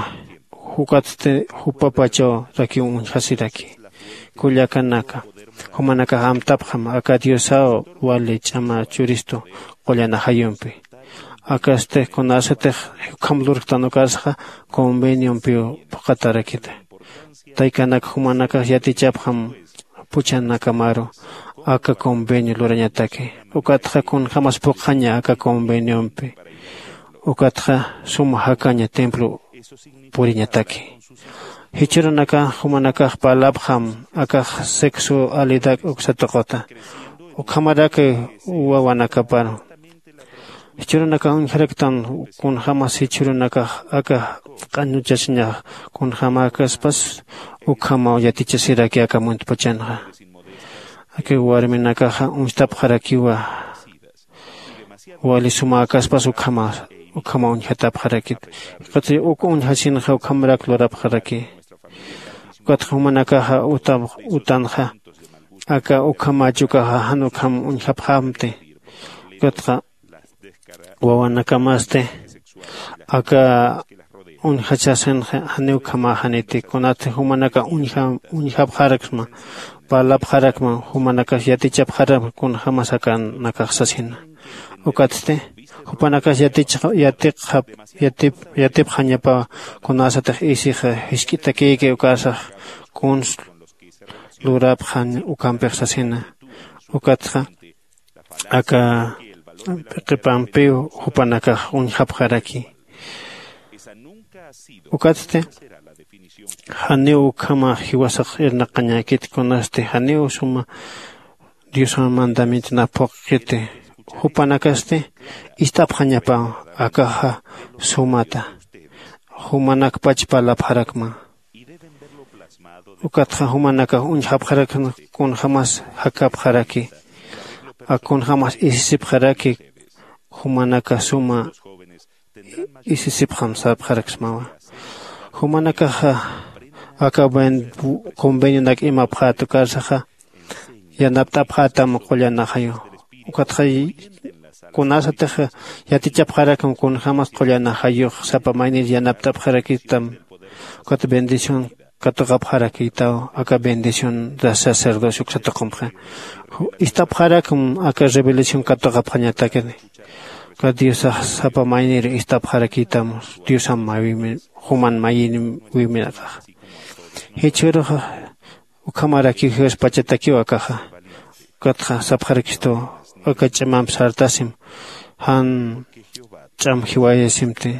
Jukatsti jupapachaw rakiw uñjasiraki. Kullakanaka jumanakax amtapxam aka diosaw wali ch'ama churistu qullan ajayumpi. Akasti kunasatix ukham lurktan ukarsaxa conveniompiw phuqatarakita. Taykanak jumanakax yatichapxam phuchhanakamaru aka convenio lurañataki. Ukatxa kunjämas phuqhaña aka conveniompi. Ukatxa suma jakaña templo puriñataki. Jichhürunakax jumanakax parlapxam akax sexualidak uksatuquta ukhamarak wawanakaparu. Jichhürunakax uñjaraktan kunjämas jichhürunakax aka q'añuchasiñax kunjämäkaspas ukhamaw yatichasiraki aka muntpachanxa. Aka warminakaxa uñstapxarakiwa wali sumäkaspas ukhama ukhama uñjatapxarakit. Ukatsti uk uñjasinxa ukhamarak lurapxaraki. Ukatxa jumanakaxa utanxa aka ukhamächukaxa jan ukham uñjapxämti. Ukatxa wawanakamasti aka uñjachasinxa janiw ukhamäxaniti kunatsti jumanaka uñjapxaraksma parlapxarakma jumanakas yatichapxarakma kunjämas akanakax sasina. Ukatsti jupanakas yatiqxap yatipxañapaw kunasatix isixa jisk'itakïki ukasax kuns lurapxañ ukampix sasina. Ukatxa aka p'iqipampiw jupanakax uñjapxaraki. Ukatsti janiw ukhama jiwasax irnaqañäkit kunasti janiw suma diosan mandamientonap phuqkiti. Jupanakasti ist'apxañapaw akaxa sumata jumanakpach parlapxarakma. Ukatxa jumanakax uñjapxarakna kunjämas jakapxaraki. Ak kunjämas isisipxaraki jumanaka suma isisipxam sapxaraksmawa. Jumanakaxa aka convenionak imapxät ukarsaxa yanapt'apxätam qullan ajayu. Ukatxa kunasatix yatichapxarakam kunjämas qullan ajayux sapa maynir yanapt'apxarakitam. Ukat bendición katuqapxarakïtaw aka bendición de sacerdocio uksatuqamxa ist'apxarakam aka revelación katuqapxañatakini. Ukat diosax sapa maynir ist'apxarakïtam diosan mayïmi juman mayïniwïminakaxa. Jichhüruxa ukhamarakiw jiwaspachatakiw akaxa. Ukatxa sapxarakistu aka ch'amamp sartasim jan ch'am jiwayasimti.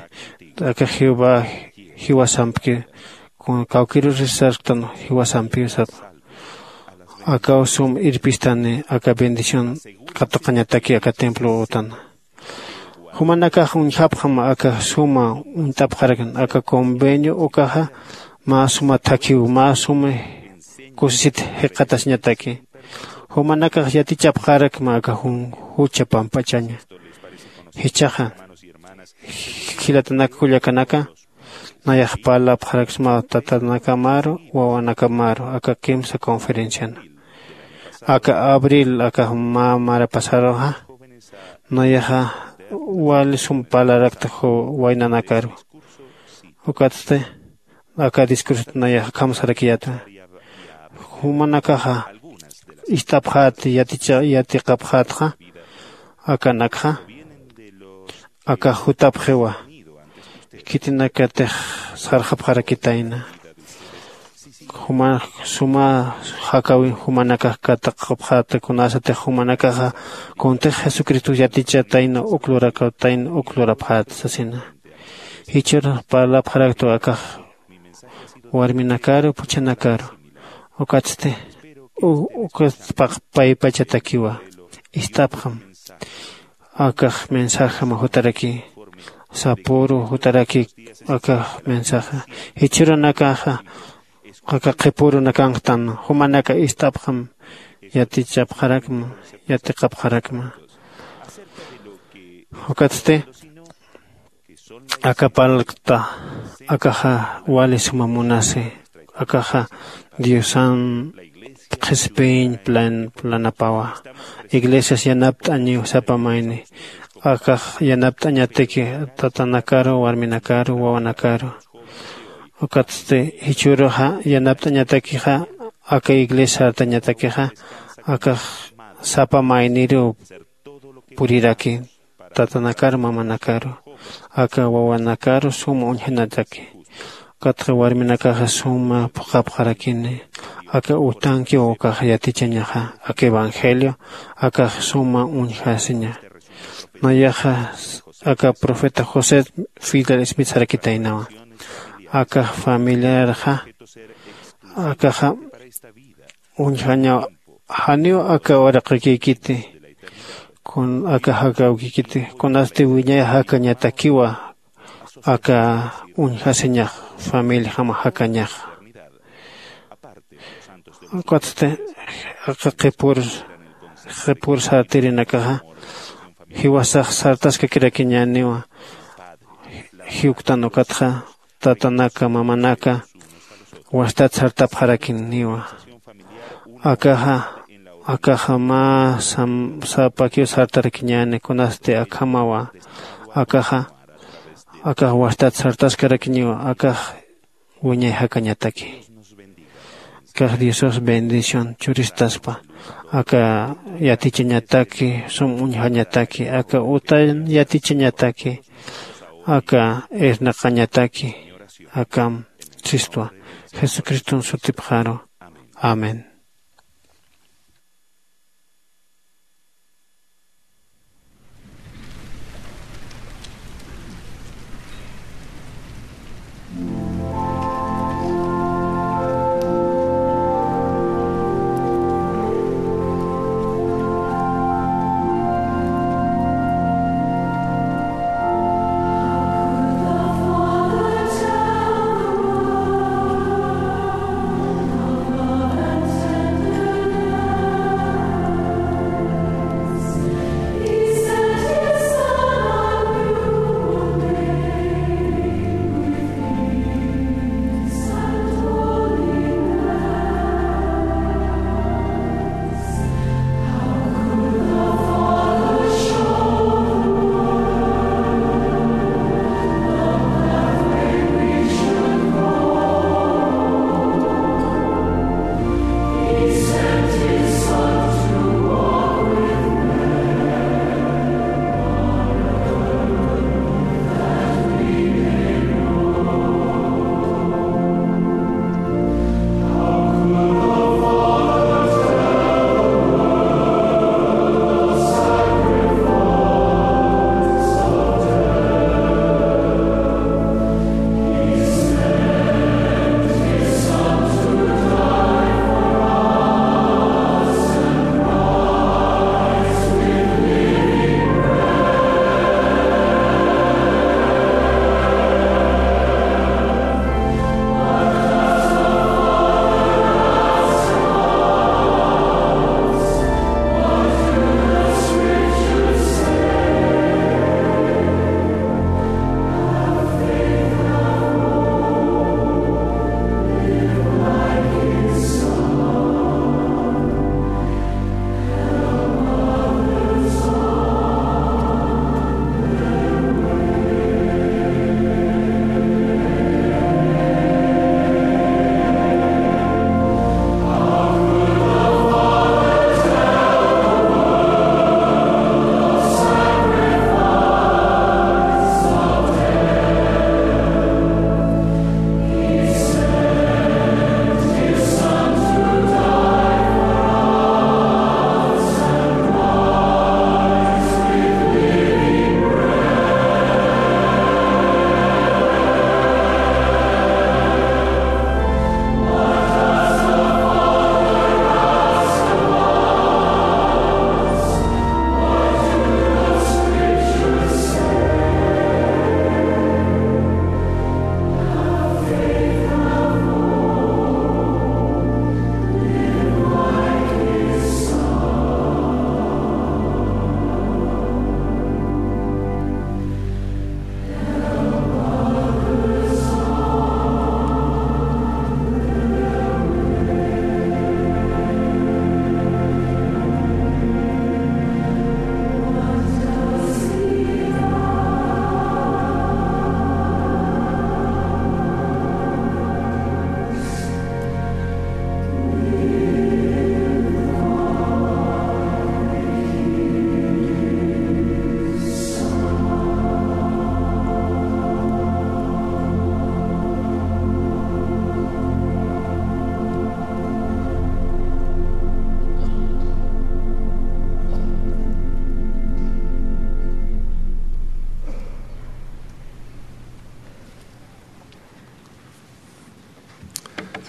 Aka jehová jiwasampki kawkïrurisa sarktan jiwasampiw sapa. Akaw sum irpistani aka bendición katuqañataki aka templo utana. Jumanakax uñjapxam aka suma uñt'apxarakna aka convenio ukaxa mä suma thakhiw mä suma kusisit jikxatasiñataki. Jumanakax yatichapxarakma aka jucha pampachaña. Jichhaxa jilatanak kullakanaka nayax parlapxaraksmaw tatanakamaru wawanakamaru aka kimsa conferenciana. Aka abril aka mä marapasaruxa nayaxa wali sum parlarakta waynanakaru. Ukatsti aka discursot nayax akham sarakiyäta. Jumanakaxa ist'apxät yatiqapxätxa akanakxa akax jutapxiwa. Khitinakatix sarxapxarakitayna. Juma suma jakawin jumanakax kataqapxäta kunasatix jumanakaxa kuntix jesucristox yatichatayna uk lurakawtayna uk lurapxäta sasina. Jichhür parlapxaraktu akax warminakaru phuchhanakaru. Ukatsti ukat paypachatakiwa ist'apxam. Akax mensajama jutaraki sapüru jutaraki akax mensaja jichhürunakaxa aka qhipürunakanktan jumanaka ist'apxam. Yatichapxarakma yatiqapxarakma. Ukatsti aka parlkta akaxa wali suma munasi akaxa diosan qhispiñ plan planapawa. Iglesias yanapt'añiw sapa mayni akax yanapt'añataki tatanakaru warminakaru wawanakaru. Ukatsti jichhüruxa yanapt'añatakixa aka iglesia sartañatakixa akax sapa mayniruw puriraki tatanakaru mamanakaru aka wawanakaru suma uñjanataki. Ukatxa warminakaxa suma phuqhapxarakini aka utankiw ukax yatichañaxa aka evangelio akax suma uñjasiña. Nayaxa aka profeta josé fidel smith sarakitaynawa. Akax familiarxa akaxa uñjañaw janiw aka uraqikïkiti kun aka jakawkïkiti kunasti wiñay jakañatakiwa aka uñjasiñax familijama jakañaxa. Ukatsti aka qhipür qhipür sartirinakaxa jiwasax sartaskakirakiñäniwa. Jiwktan ukatxa tatanaka mamanaka wastat sartapxarakiniwa. Akaxa akaxa mä sapakiw sartarakiñäni kunasti akhamawa. Akaxa akax wastat sartaskarakiñiwa akax wiñay jakañataki. Kax diosos bendición churistaspa aka yatichañataki sum uñjañataki aka utan yatichañataki aka irnaqañataki akam sistwa jesucriston sutipxaru. Amén.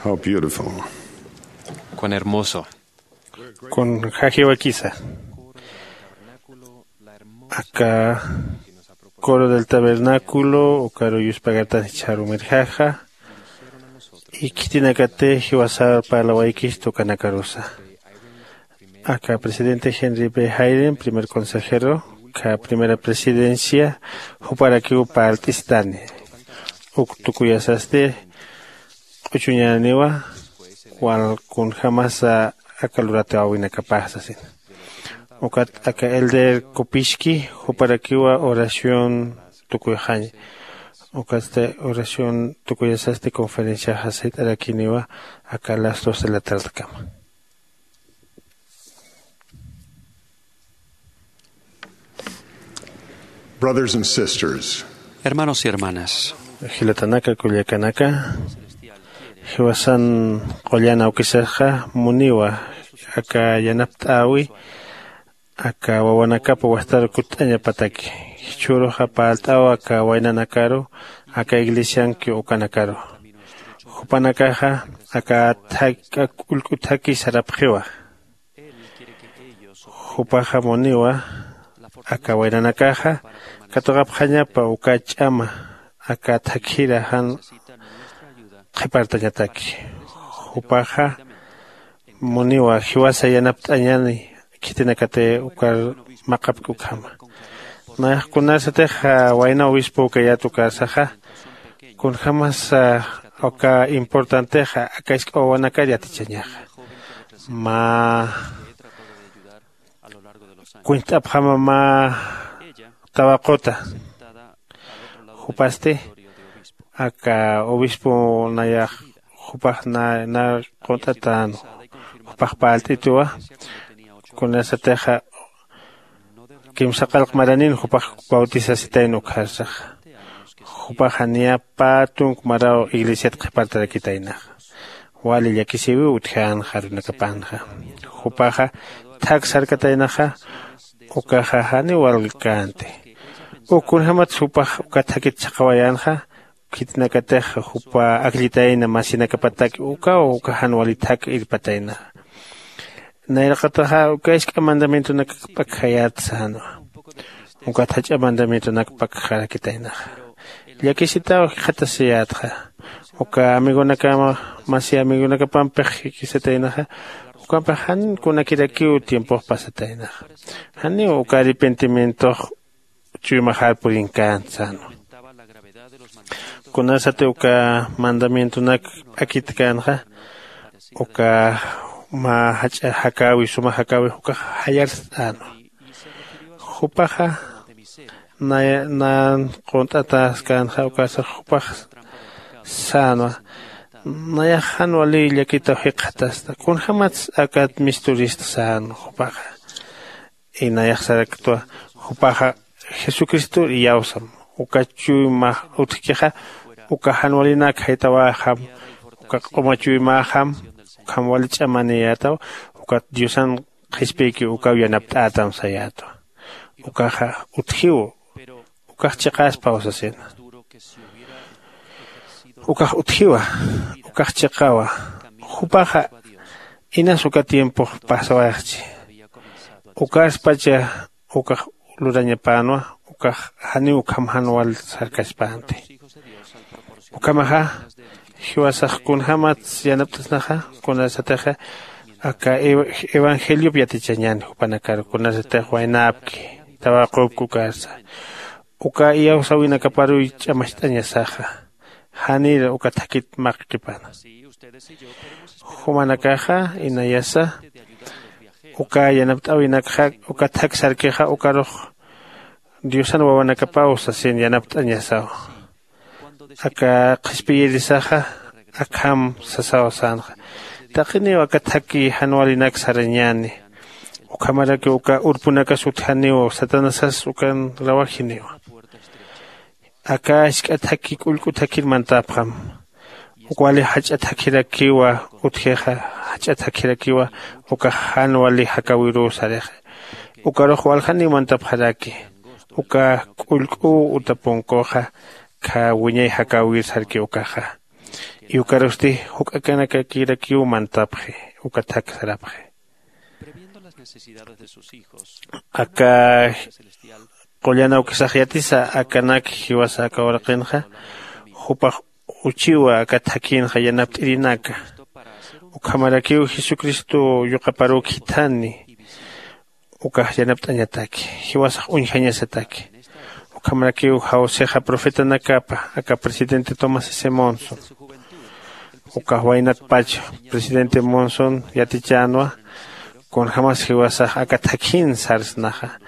How beautiful. Cuán hermoso. Kun jajiwakisa. Aka coro del tabernáculo ukaru yuspagartan jichharumirjaja. Ikitinakate jiwasar parlawaykis tukanakarusa. Aka presidente Henry B Hayden primer consejero ka primera presidencia juparakiw parlt'istani. Uk tukuyasasti q'uchuñaniwa wal kunjamasa aka luratiwawinakapax sasin. Ukat aka elder kupiski juparakiwa oración tukuyxaña. Ukatsti oración tukuyasasti conferenciaxa sayt'arakiniwa aka las dos de la tardekama. Brothers and sisters, hermanos y hermanas, jilatanaka kullakanaka, jiwasan qullan awkisaxa muniwa aka yanapt'äwi aka wawanakapa wastar kutt'añapataki. Jichhüruxa parlt'aw aka waynanakaru aka iglesianki ukanakaru. Jupanakaxa aka thak k'ulk'u thaki sarapxiwa. Jupaxa muniwa aka waynanakaxa katuqapxañapa uka ch'ama aka thakhira jan qhipartañataki. Jupaxa muniwa jiwasa yanapt'añani khitinakatix ukar maqapki ukhama. Nayax kunarsatix wayna obispo ukayät ukarsaxa kunjämas uka importantexa aka isk'a wawanakar yatichañaxa. Mä kuñt'apxama mä tawaquta. Jupasti aka obispo nayax jupax na qunt'atän jupax parlt'ituwa. Kunasatixa kimsa qallq maranin jupax bautisasitayn ukharsaxa. Jupaxa niya pä tunk maraw iglesiat qhipartarakitaynaxa. Wali llakisiwiw utjänxa arunakapanxa. Jupaxa thak sarkataynaxa. Ukaxa janiw walkänti. Uk kunjämatsa jupax uka thakit chhaqawayänxa khitinakatix jupa akllitayna masinakapataki ukaw uka jan wali thak irpataynaxa. Nayraqataxa uka isk'a mandamientonak p'akjayät sänwa. Ukat jach'a mandamientonak p'akxarakitaynaxa. Llakisitaw jikxatasiyätxa. Uka amigonakama masi amigonakapampi jikisataynaxa. Ukampix jan kunakirakiw tiempox pasataynaxa. Janiw uka arrepentimientox chuymaxar purinkänti sänwa. Kunasati uka mandamientonak p'akitkänxa uka mä jach'a jakäwi suma jakäwi ukax jayarst'änwa. Jupaxa naya nan qunt'ataskänxa ukasa jupax sänwa. Nayax jan wali llakitaw jikxatasta kunjämats akat misturista sänwa jupaxa. Inayax saraktwa jupaxa jesucristor iyawsam. Uka chuyma utjkixa uka jan walinak jaytawäxam. Uka q'uma chuymäxam. Ukham wali ch'amaniyätaw. Ukat diosan qhispiyki ukaw yanapt'ätam sayätwa. Ukaxa utjiw. Ukax chiqaspaw sasina. Ukax utjiwa. Ukax chiqawa. Jupaxa inas uka tiempox pasawayxchi. Ukaspacha ukax lurañapänwa. Ukax janiw ukham jan wal sarkaspänti. Ukhamaxa jiwasax kunjämats yanapt'asnaxa kunasatixa aka evangeliop yatichañän jupanakar kunasatix waynäpki tawaqupki ukarsa. Uka iyawsäwinakaparuy ch'amacht'añasaxa. Janir uka thakit maqkipana. Jumanakaxa inayasa uka yanapt'äwinakxa uka thak sarkixa ukarux diosan wawanakapaw sasin yanapt'añasaw. Aka qhispiyirisaxa akham sasaw sänxa. Taqiniw aka thaki jan walinak sarañäni. Ukhamarakiw uka urpunakas utjaniw satanasas ukan rawajiniwa. Aka jisk'a thaki k'ullk'u thakir mantapxam. Uk wali jach'a thakirakiwa utjixa. Jach'a thakirakiwa ukax jan wali jakäwiruw sarixa. Ukarux waljaniw mantapxaraki. Uka k'ullk'uw uta punkuxa. Khä wiñay jakäwir sarki ukaxa. Yukarusti juk'akanakakirakiw mantapxi. Uka thak sarapxi. Aka qullan awkisax yatisa akanak jiwasa aka uraqinxa jupax uchiwa aka thakïnxa yanapt'irinaka. Ukhamarakiw jesucristo yuqaparuw khithani ukax yanapt'añataki. Jiwasax uñjañasataki. Ukhamarakiw jawsixa profetanakapa aka presidente tomás s monson ukax waynatpach presidente monson yatichänwa. Kunjämas jiwasax aka thakhin sarsnaxa.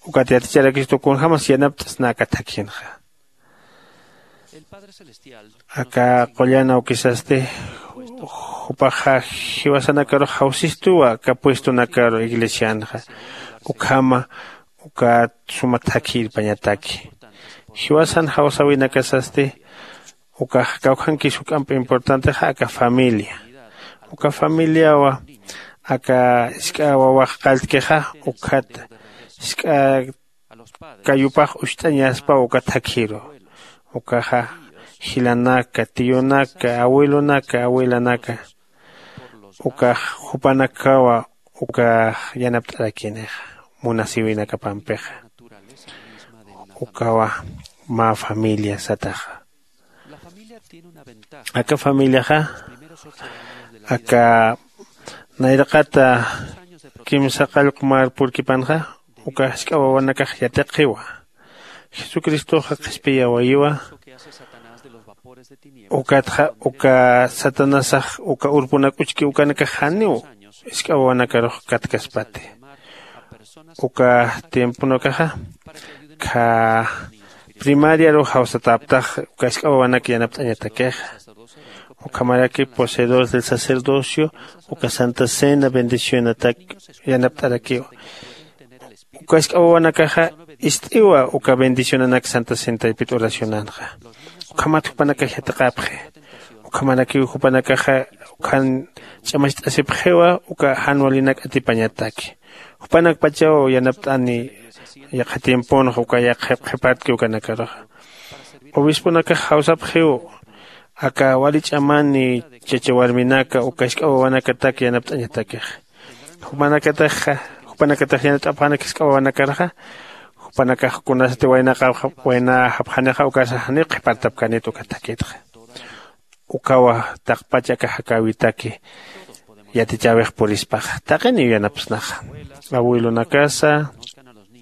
Ukat yaticharakistu kunjämas yanapt'sna aka thakhinxa. Aka qullan awkisasti jupaxa jiwasanakarux jawsistuwa aka puestonakaru iglesianxa. Ukhama ukat suma thakhi irpañataki. Jiwasan jawsäwinakasasti ukax kawkhankis juk'amp importantexa aka familia. Uka familiawa aka isk'a wawax qalltkixa ukkhat isk'a kayupax ucht'añaspaw uka thakhiru. Ukaxa jilanaka tiyunaka abuelonaka abuelanaka ukax jupanakawa ukax yanapt'arakinixa munasïwinakapampixa. Ukawa mä familia sataxa. Aka familiaxa aka nayraqata kimsa qallqu mar purkipanxa uka jisk'a wawanakax yatiqiwa. Jesucristoxa qhispiyawayiwa. Ukatxa uka satanasax uka urpunak uchki ukanakax janiw jisk'a wawanakarux katkaspati. Uka tiemponakaxa kha primariaru jawsatäptax uka jisk'a wawanak yanapt'añatakixa. Ukhamaraki poseedores del sacerdocio uka santa cena bendicionatak yanapt'arakiwa. Uka jisk'a wawanakaxa ist'iwa uka bendicionanak santa cena taypit oracionanxa. Ukhamat jupanakax yatiqapxi. Ukhamarakiw jupanakaxa ukhan ch'amacht'asipxiwa uka jan walinak atipañataki. Jupanakpachaw yanapt'ani yaqha tiemponxa uka yaqha qhipatki ukanakaruxa. Obisponakax jawsapxiw aka wali ch'amani chacha warminaka uka jisk'a wawanakatak yanapt'añatakixa. Jupanakataxa jupanakatax yanapt'apxanak jisk'a wawanakarxa jupanakax kunasati waynaqapxanixa ukasa janiw qhipartapkanit uka thakitxa. Ukawa taqpach aka jakäwitaki yatichäwix purispaxa taqiniw yanapsnaxa. Abuelonakasa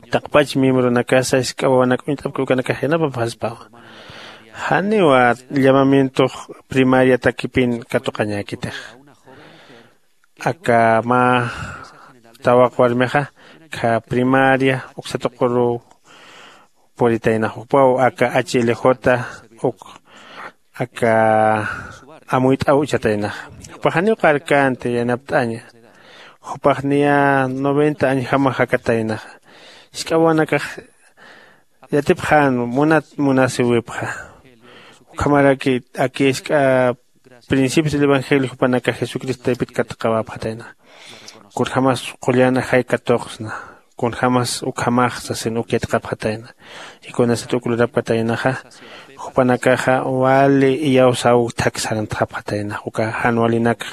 taqpach miembronakasa jisk'a wawanak uñt'apki ukanakax yanapapxaspawa. Janiwa llamamientox primariatakipin katuqañäkitix. Aka mä tawaq warmixa kha primaria uksa tuquruw puritaynax jupaw aka h l j uk aka amuyt'aw uchataynaxa. Jupax janiw qarkänti yanapt'aña. Jupax niya noventa añjamax jakataynaxa. Jisk'a wawanakax yatipxän munat munasiwipxa. Ukhamaraki aki jisk'a principios del evangelio jupanakax jesucristo taypit katuqawapxatayna. Kunjämas qullan ajay katuqsna kunjämas ukhamax sasin uk yatiqapxatayna. Y kunasat uk lurapkataynaxa jupanakaxa wali iyawsaw thak sarantxapxatayna uka jan walinakxa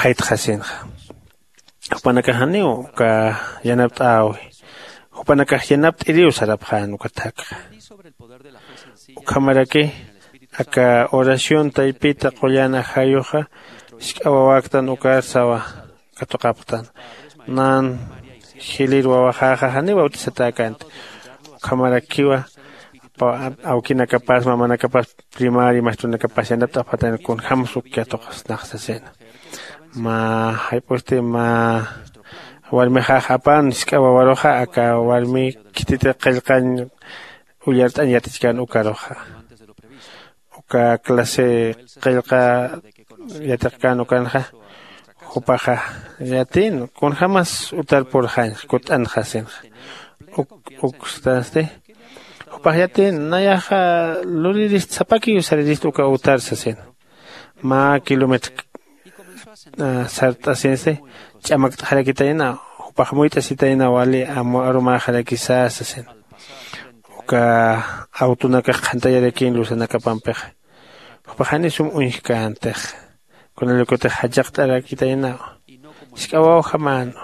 jaytxasinxa. Jupanakax janiw uka yanapt'äwi. Jupanakax yanapt'iriw sarapxän uka thakxa. Ukhamaraki aka oración taypita qullan ajayuxa jisk'a wawaktan ukar sawa katuqapxtan. Nan jilir wawaxäxa janiw bautizatäkänti. Ukhamarakiwa awkinakapas mamanakapas primaria maestronakapas yanapt'apxatayna kunjämas uk katuqasnax sasina. Mä jayp'usti mä warmixax apan jisk'a wawaruxa aka warmi khititi qillqañ ullart'añ yatichkän ukaruxa. Uka clase qillqa yatiqkän ukanxa jupaxa yatin kunjämas utar purxañxa kutt'anxasinxa. Uk ukstasti jupax yatin nayaxa luririst sapakiw saririst uka utar sasin. Mä kilometro sart'asinsti ch'amakt'xarakitayna. Jupax muyt'asitayna wali arumäxarakisa sasin. Uk uka awtunakax qhantayarakïn lusanakapampixa. Jupax jani sum uñjkäntixa. Kunalaykutix jachaqt'arakitaynaw. Jisk'awawjamän.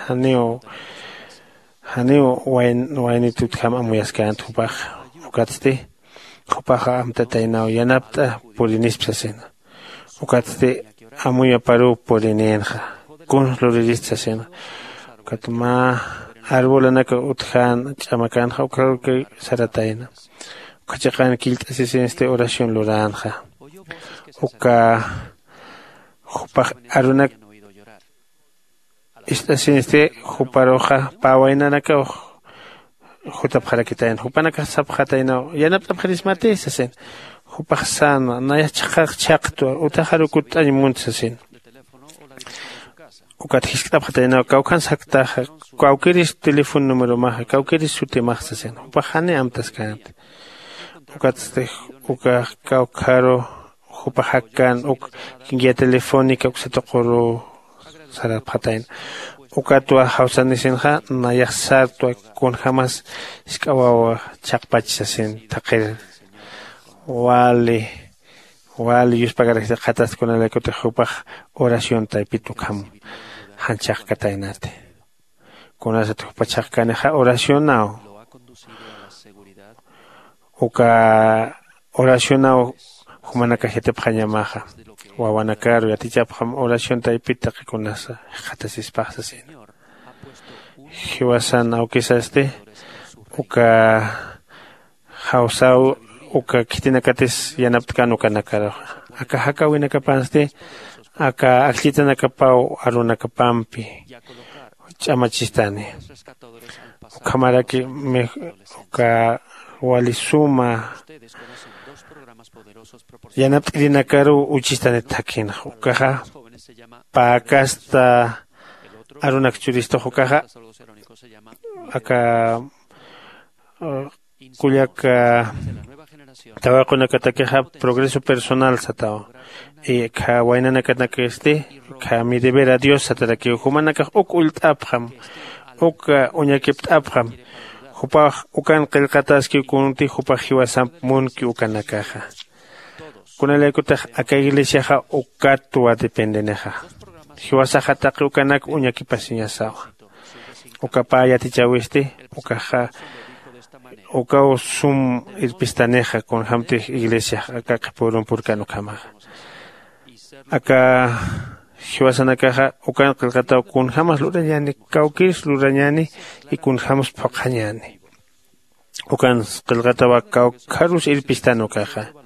Janiw janiw waynit utjam amuyaskänti jupax. Ukatsti jupaxa amtataynaw yanapt'a purinisp sasina. Ukatsti amuyaparuw purinïnxa. Kuns luririst sasina. Ukat mä arbolanaka utjän ch'amakänxa ukharuki saratayna. Ukha chiqan killt'asisinsti oración luränxa. Uka jupax arunak ist'asinsti juparuxa pä waynanakaw jutapxarakitayna jupanakax sapxataynaw yanapt'apxirismati sasin. Jupax sänwa nayax chhaqax chhaqtwa utaxaru kutt'añ munt sasin. Ukat jiskt'apxataynaw kawkhan saktaxa kawkiris teléfono numeromaxa kawkiris sutimax sasin jupax jani amtaskänti. Ukatsti ukax kawkharu jupax jakkän uk guía telefónica uksa tuquruw sarapxatayna. Ukatwa jawsanisinxa nayax sartwa kunjämas jisk'awawa chhaqpach sasin thaqhir. Wali wali yuspagaraxi qhatasti kunalaykutix jupax oración taypit ukham jan chhaqkataynati. Kunasat jupa chhaqkanixa oracionaw uka oracionaw jumanakax yatipxañamaxa. Wawanakaru yatichapxam oración taypit taqi kunasa jikxatasispax sasina. Jiwasan awkisasti uka jawsaw uka khitinakatis yanapt'kän ukanakaruxa. Aka jakäwinakapansti aka akllitsanakapaw arunakapampi ch'amachistani. Ukhamaraki uka wali suma yanapt'irinakaruw uchistanit thakhinxa ukaxa pä casta arunak churistux ukaxa aka kullak tawaqunakatakixa progreso personal satawa. Kha waynanakanakisti kha mi deber a dios satarakiw jumanakax uk ullt'apxam uk uñakipt'apxam. Jupax ukan qillqataskiw kunti jupax jiwasamp munki ukanakaxa. Kunalaykutix aka iglesiaxa ukatwa dependenixa. Jiwasaxa taqi ukanak uñakipasiñasawa. Uka pä yatichäwisti ukaxa ukaw sum irpistanixa kunjämtix iglesiax aka qhipürun purkan ukhamaxa. Aka jiwasanakaxa ukan qillqataw kunjämas lurañäni kawkïrs lurañäni y kunjämas phuqhañäni. Ukan qillqatawa kawkharus irpistan ukaxa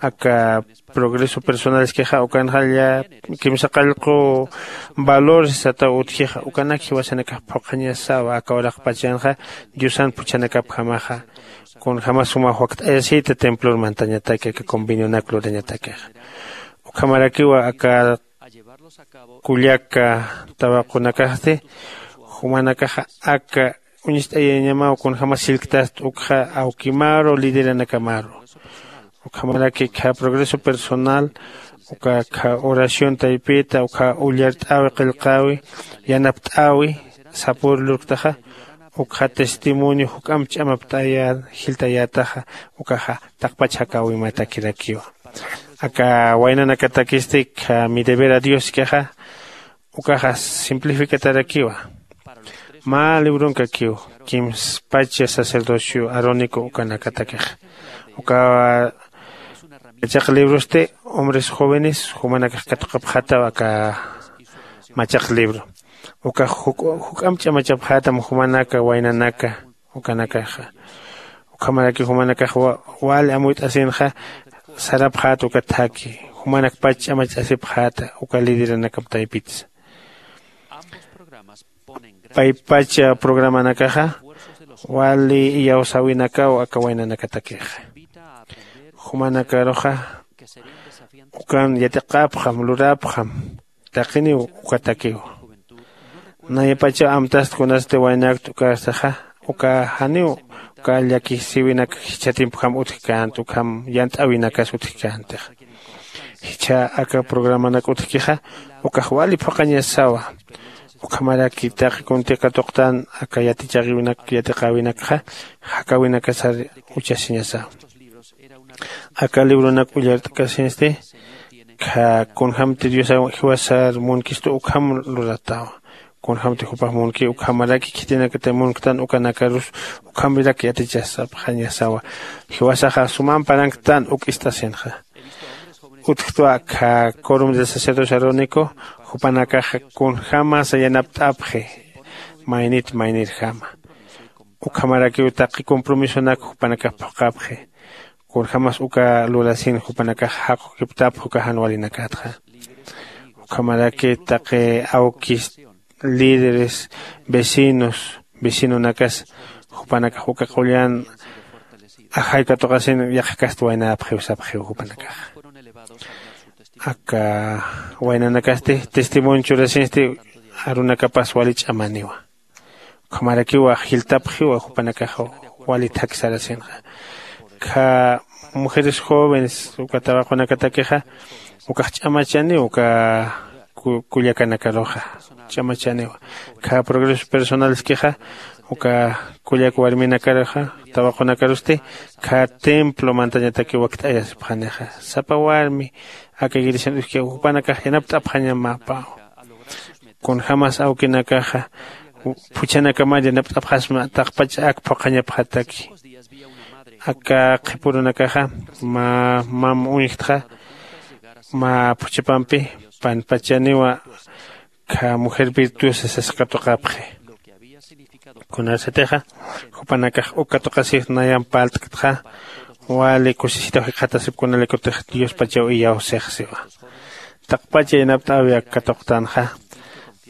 aka progreso personalskixa ukanxalla kimsa qallqu valores sataw utjixa ukanak jiwasanakax phuqhañasawa aka uraqpachanxa diosan phuchhanakapjamaxa. Kunjämas suma wakt'ayasïta templor mantañataki aka convenionak lurañatakixa. Ukhamarakiwa aka kullaka tawaqunakasti jumanakaxa aka uñist'ayañamaw kunjämas sillktast ukxa awkimaru lideranakamaru. Ukhamaraki kha progreso personal uka kha oración taypita uka ullart'äwi qillqäwi yanapt'äwi sapür lurktaxa ukxa testimonio juk'amp ch'amapt'ayä jiltayätaxa ukaxa taqpach jakäwimatakirakiwa. Aka waynanakatakisti kha mi deber a dioskixa ukaxa simplificatarakiwa. Mä librunkakiw kimspacha sacerdocio arónico ukanakatakixa uka machaq librosti hombres jóvenes jumanakax katuqapxataw aka machaq libro. Ukax juk'amp ch'amachapxätam jumanaka waynanaka ukanakaxa. Ukhamaraki jumanakax wali amuyt'asinxa sarapxäta uka thaki jumanakpach ch'amacht'asipxäta uka lideranakap taypitsa. Paypach programanakaxa wali iyawsäwinakaw aka waynanakatakixa. Jumanakaruxa ukan yatiqapxam lurapxam taqiniw ukatakiw. Nayapachaw amtast kunasti waynakt ukastaxa uka janiw uka llakisïwinak jichha timpjam utjkänti ukham yant'äwinakas utjkäntixa. Jichha aka programanak utjkixa ukax wali phuqhañasawa. Ukhamaraki taqi kunti katuqtan aka yatichawinak yatiqäwinakxa jakawinakasar uchasiñasaw. Aka libronak ullart'kasinsti kunjämti diosaw jiwasar munkistu ukham luratawa. Kunjämti jupax munki ukhamaraki khitinakatay munktan ukanakarus ukhamirak yatichasapxañasawa. Jiwasaxa sumam paranktan uk ist'asinxa. Utjtwa akha corum de sacerdocio arónico jupanakaxa kunjämasa yanapt'apxi maynit maynirjama. Ukhamarakiw taqi compromisonak jupanakax phuqhapxi. Kunjämas uka lurasin jupanakax jaqukiptapxi uka jan walinakatxa. Ukhamaraki taqi awkis líderes vecinos vecinonakas jupanakax uka qullan ajay katuqasin yaqhakasti waynäpxiw sapxiw jupanakaxa. Aka waynanakasti testimonio churasinsti arunakapas wali ch'amaniwa. Ukhamarakiwa jiltapxiwa jupanakaxa wali thak sarasinxa. Kha mujeres jóvenes uka tawaqunakatakixa ukax ch'amachaniw uka kullakanakaruxa ch'amachaniwa. Kha progresos personaleskixa uka kullak warminakaruxa tawaqunakarusti kha templo mantañataki wakt'ayasipxanixa. Sapa warmi aka iglesian uski jupanakax yanapt'apxañamapaw. Kunjämas awkinakaxa phuchhanakamar yanapt'apxasma taqpach ak phuqhañapxataki. Aka qhipürunakaxa mä mam uñjtxa mä phuchhapampi panpachaniwa kha mujer virtuosa sas katuqapxi. Kunasatixa jupanakax uk katuqasix nayamp parlt'ktxa wali kusisitaw jikxatasip kunalaykutix diospachaw iyawsix siwa. Taqpacha yanapt'äwi ak katuqtanxa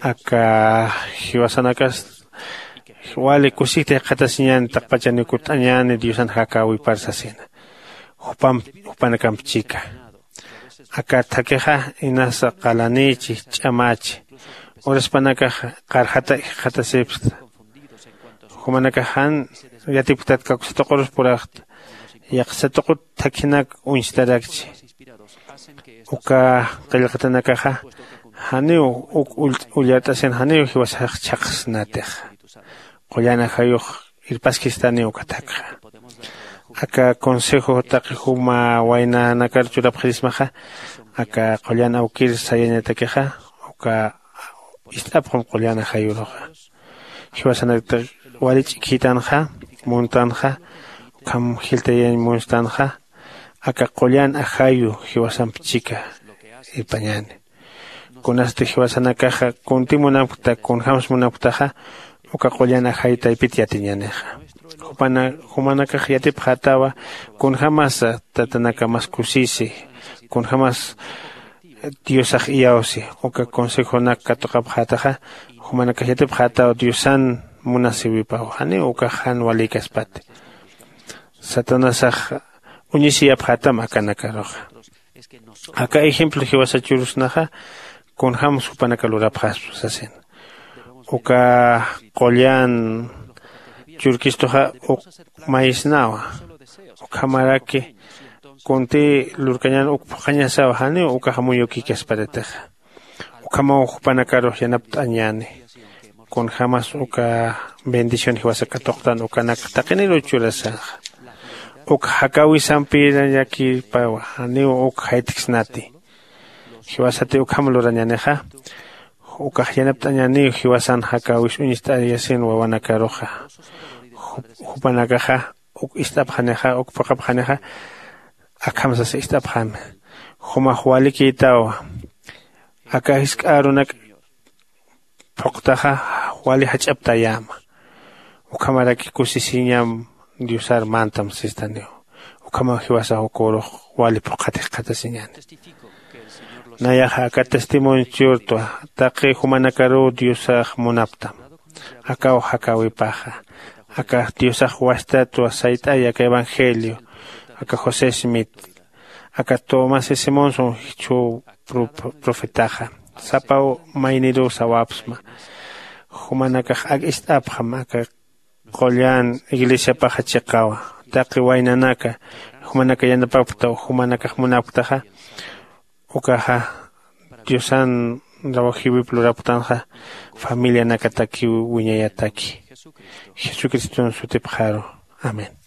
aka jiwasanakas wali kusisita jikxatasiñäni taqpachaniw kutt'añäni diosan jakäwipar sasina. Jupanakamp chika aka thakixa inasa qalanïchi ch'amächi uraspanakax qarjata jikxatasipsta. Jumanakax jan yatipktat kawksa tuqurus puraxta yaqhsa tuqut thakhinak uñstarakchi. Uka qillqatanakaxa janiw uk ullart'asin janiw jiwasax chhaqsnatixa. Qullan ajayux irpaskistaniw uka thakxa. Aka consejo taqi juma waynanakar churapxirismaxa aka qullan awkir sayañatakixa uka ist'apxam qullan ajayuruxa. Jiwasanakta wali ch'ikhïtanxa muntanxa ukham jiltayañ munstanxa aka qullan ajayu jiwasamp chika irpañäni. Kunasti jiwasanakaxa kunti munampkta kunjämsa munampktaxa uka qullan ajay taypit yatiñänixa. Jumanakax yatipxätawa kunjämasa tatanakamas kusisi kunjämas diosax iyawsi. Uka consejonak katuqapxätaxa jumanakax yatipxätaw diosan munasiwipaw janiw ukax jan walïkaspati. Satanasax uñisiyapxätam akanakaruxa. Aka ejemplo jiwasa churusnaxa kunjämsa jupanaka lurapxaspa sasina. Uka qullan churkistuxa uk mayisnawa. Ukhamaraki kuntï lurkañän uk phuqhañasawa janiw ukax amuyukïkasparatixa. Ukhamaw jupanakarux yanapt'añäni kunjämas uka bendición jiwasa katuqtan ukanak taqiniruw churasaxa. Uk jakäwisampïrañakipawa janiw uk jaytksnati. Jiwasati ukham lurañänixa ukax yanapt'añäniw jiwasan jakäwis uñst'ayasin wawanakaruxa. Jupanakaxa uk ist'apxanixa uk phuqhapxanixa akham sasa ist'apxämi. Jumax walikïtawa aka jisk'a arunak phuqtaxa wali jach'aptayäma. Ukhamaraki kusisiñam diosar mantam sistaniw. Ukhamaw jiwasax ukürux wali phuqhat jikxatasiñäni. Nayaxa aka testimonio churtwa taqi jumanakaruw diosax munaptam. Akaw jakäwipaxa aka diosax wastatwa sayt'ay aka evangelio aka josé smith aka tomás simonson jichhüw profetaxa sapaw mayniruw sawapsma. Jumanakax ak ist'apxam aka qullan iglesiapaxa chiqawa. Taqi waynanaka jumanaka yanapapkta jumanakax munapktaxa ukaxa diosan rawajiwip luraptanxa familianakatakiw wiñayataki. Jesucriston sutipxaru. Amén.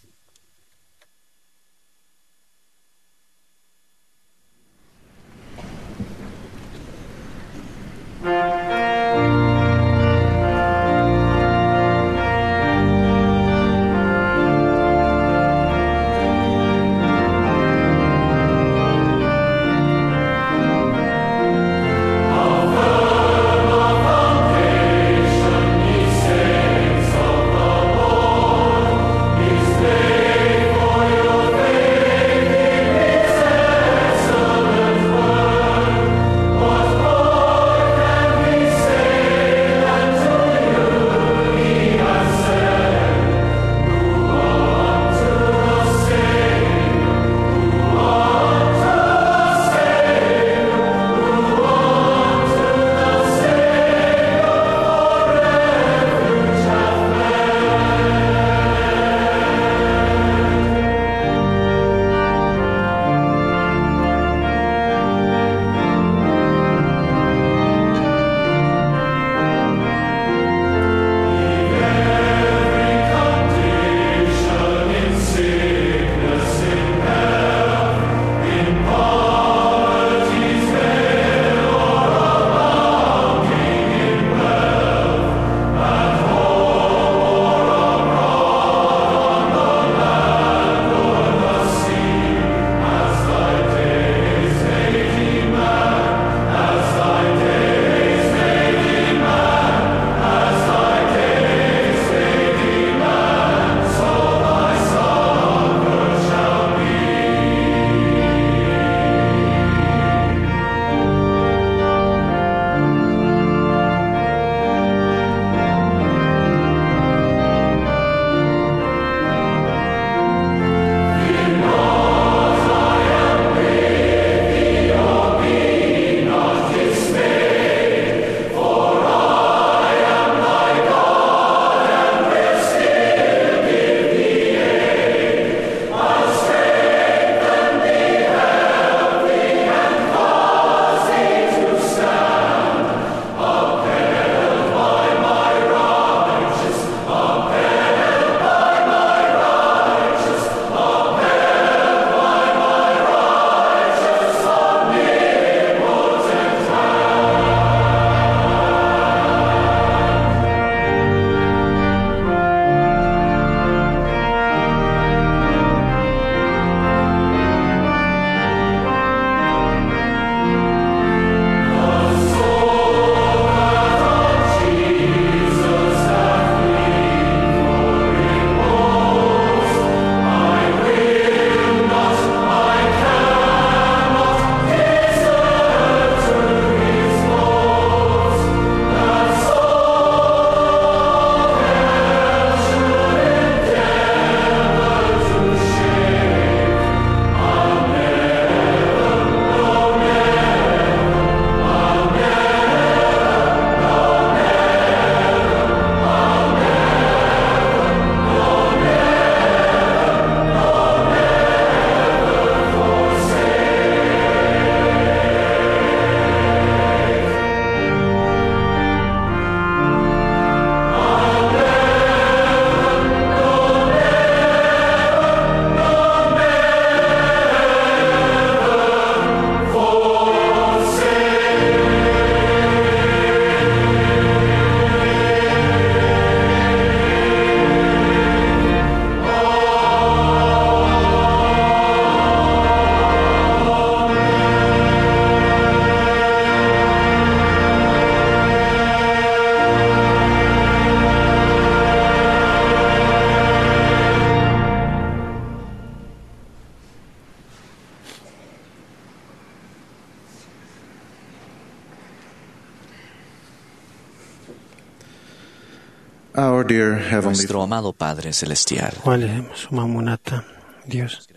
Our dear Heavenly Nuestro amado Padre Celestial. Wali suma munata Dios.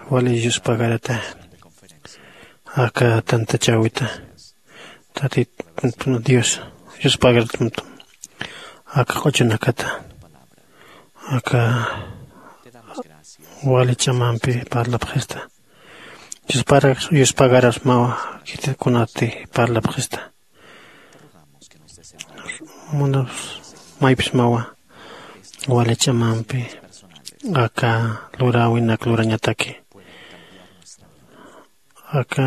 Wali yuspagarata. Aka tantachawita. Tatit Dios. Yuspagarata. Aka q'uchunakata. Aka wali ch'amampi parlapxista. Yuspagarasmawa kitikunati parlapxista. Munaps maypsmawa wali ch'amampi aka luräwinak lurañataki, aka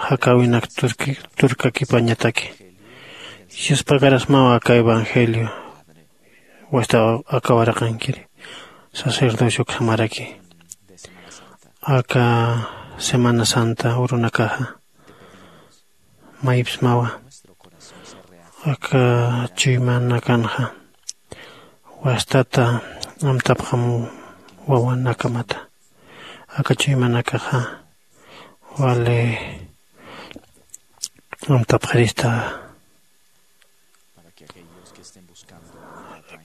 jakäwinak turki turkakipañataki. Yuspagarasmawa aka evangelio wasta aka waraqankiri sacerdocio ukhamaraki. Aka semana santa urunakaxa maypsmawa aka chuymanakanxa wastata amtapxam wawanakamata. Aka chuymanakaxa wali amtapxirista.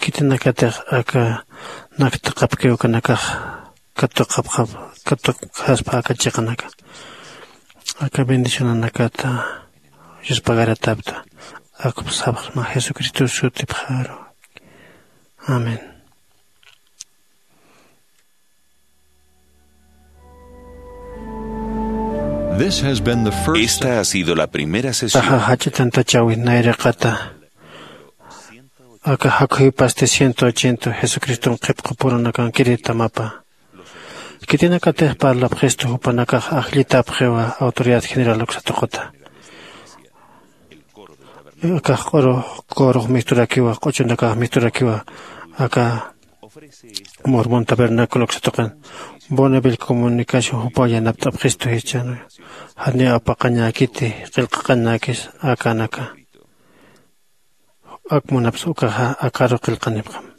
Khitinakatix aka naktaqapkiw ukanakax katuqapxap katuqjaspa aka chiqanaka aka bendicionanakata yuspagaratapta. Akpsapxsma jesucristo sutipxaru. Amén. This has been the first Esta ha sido la primera sesión. Taxa jach'a tantachawi nayraqata aka jakhuypasti ciento ochenta jesucriston qhipqupurunakankiri tamapa. Khitinakatix parlapxistu jupanakax ajllitapxiwa autoridad general uksatuquta. Akax q'uru kurux misturakiwa q'uchunakax misturakiwa aka mormon tabernaculo uksatuqin. Bonneville comunicación jupaw yanapt'apxistu jichhanu. Janiw apaqañäkiti qillqaqañäkis akanaka. Ak munapsa ukaxa akaru qillqanipxam.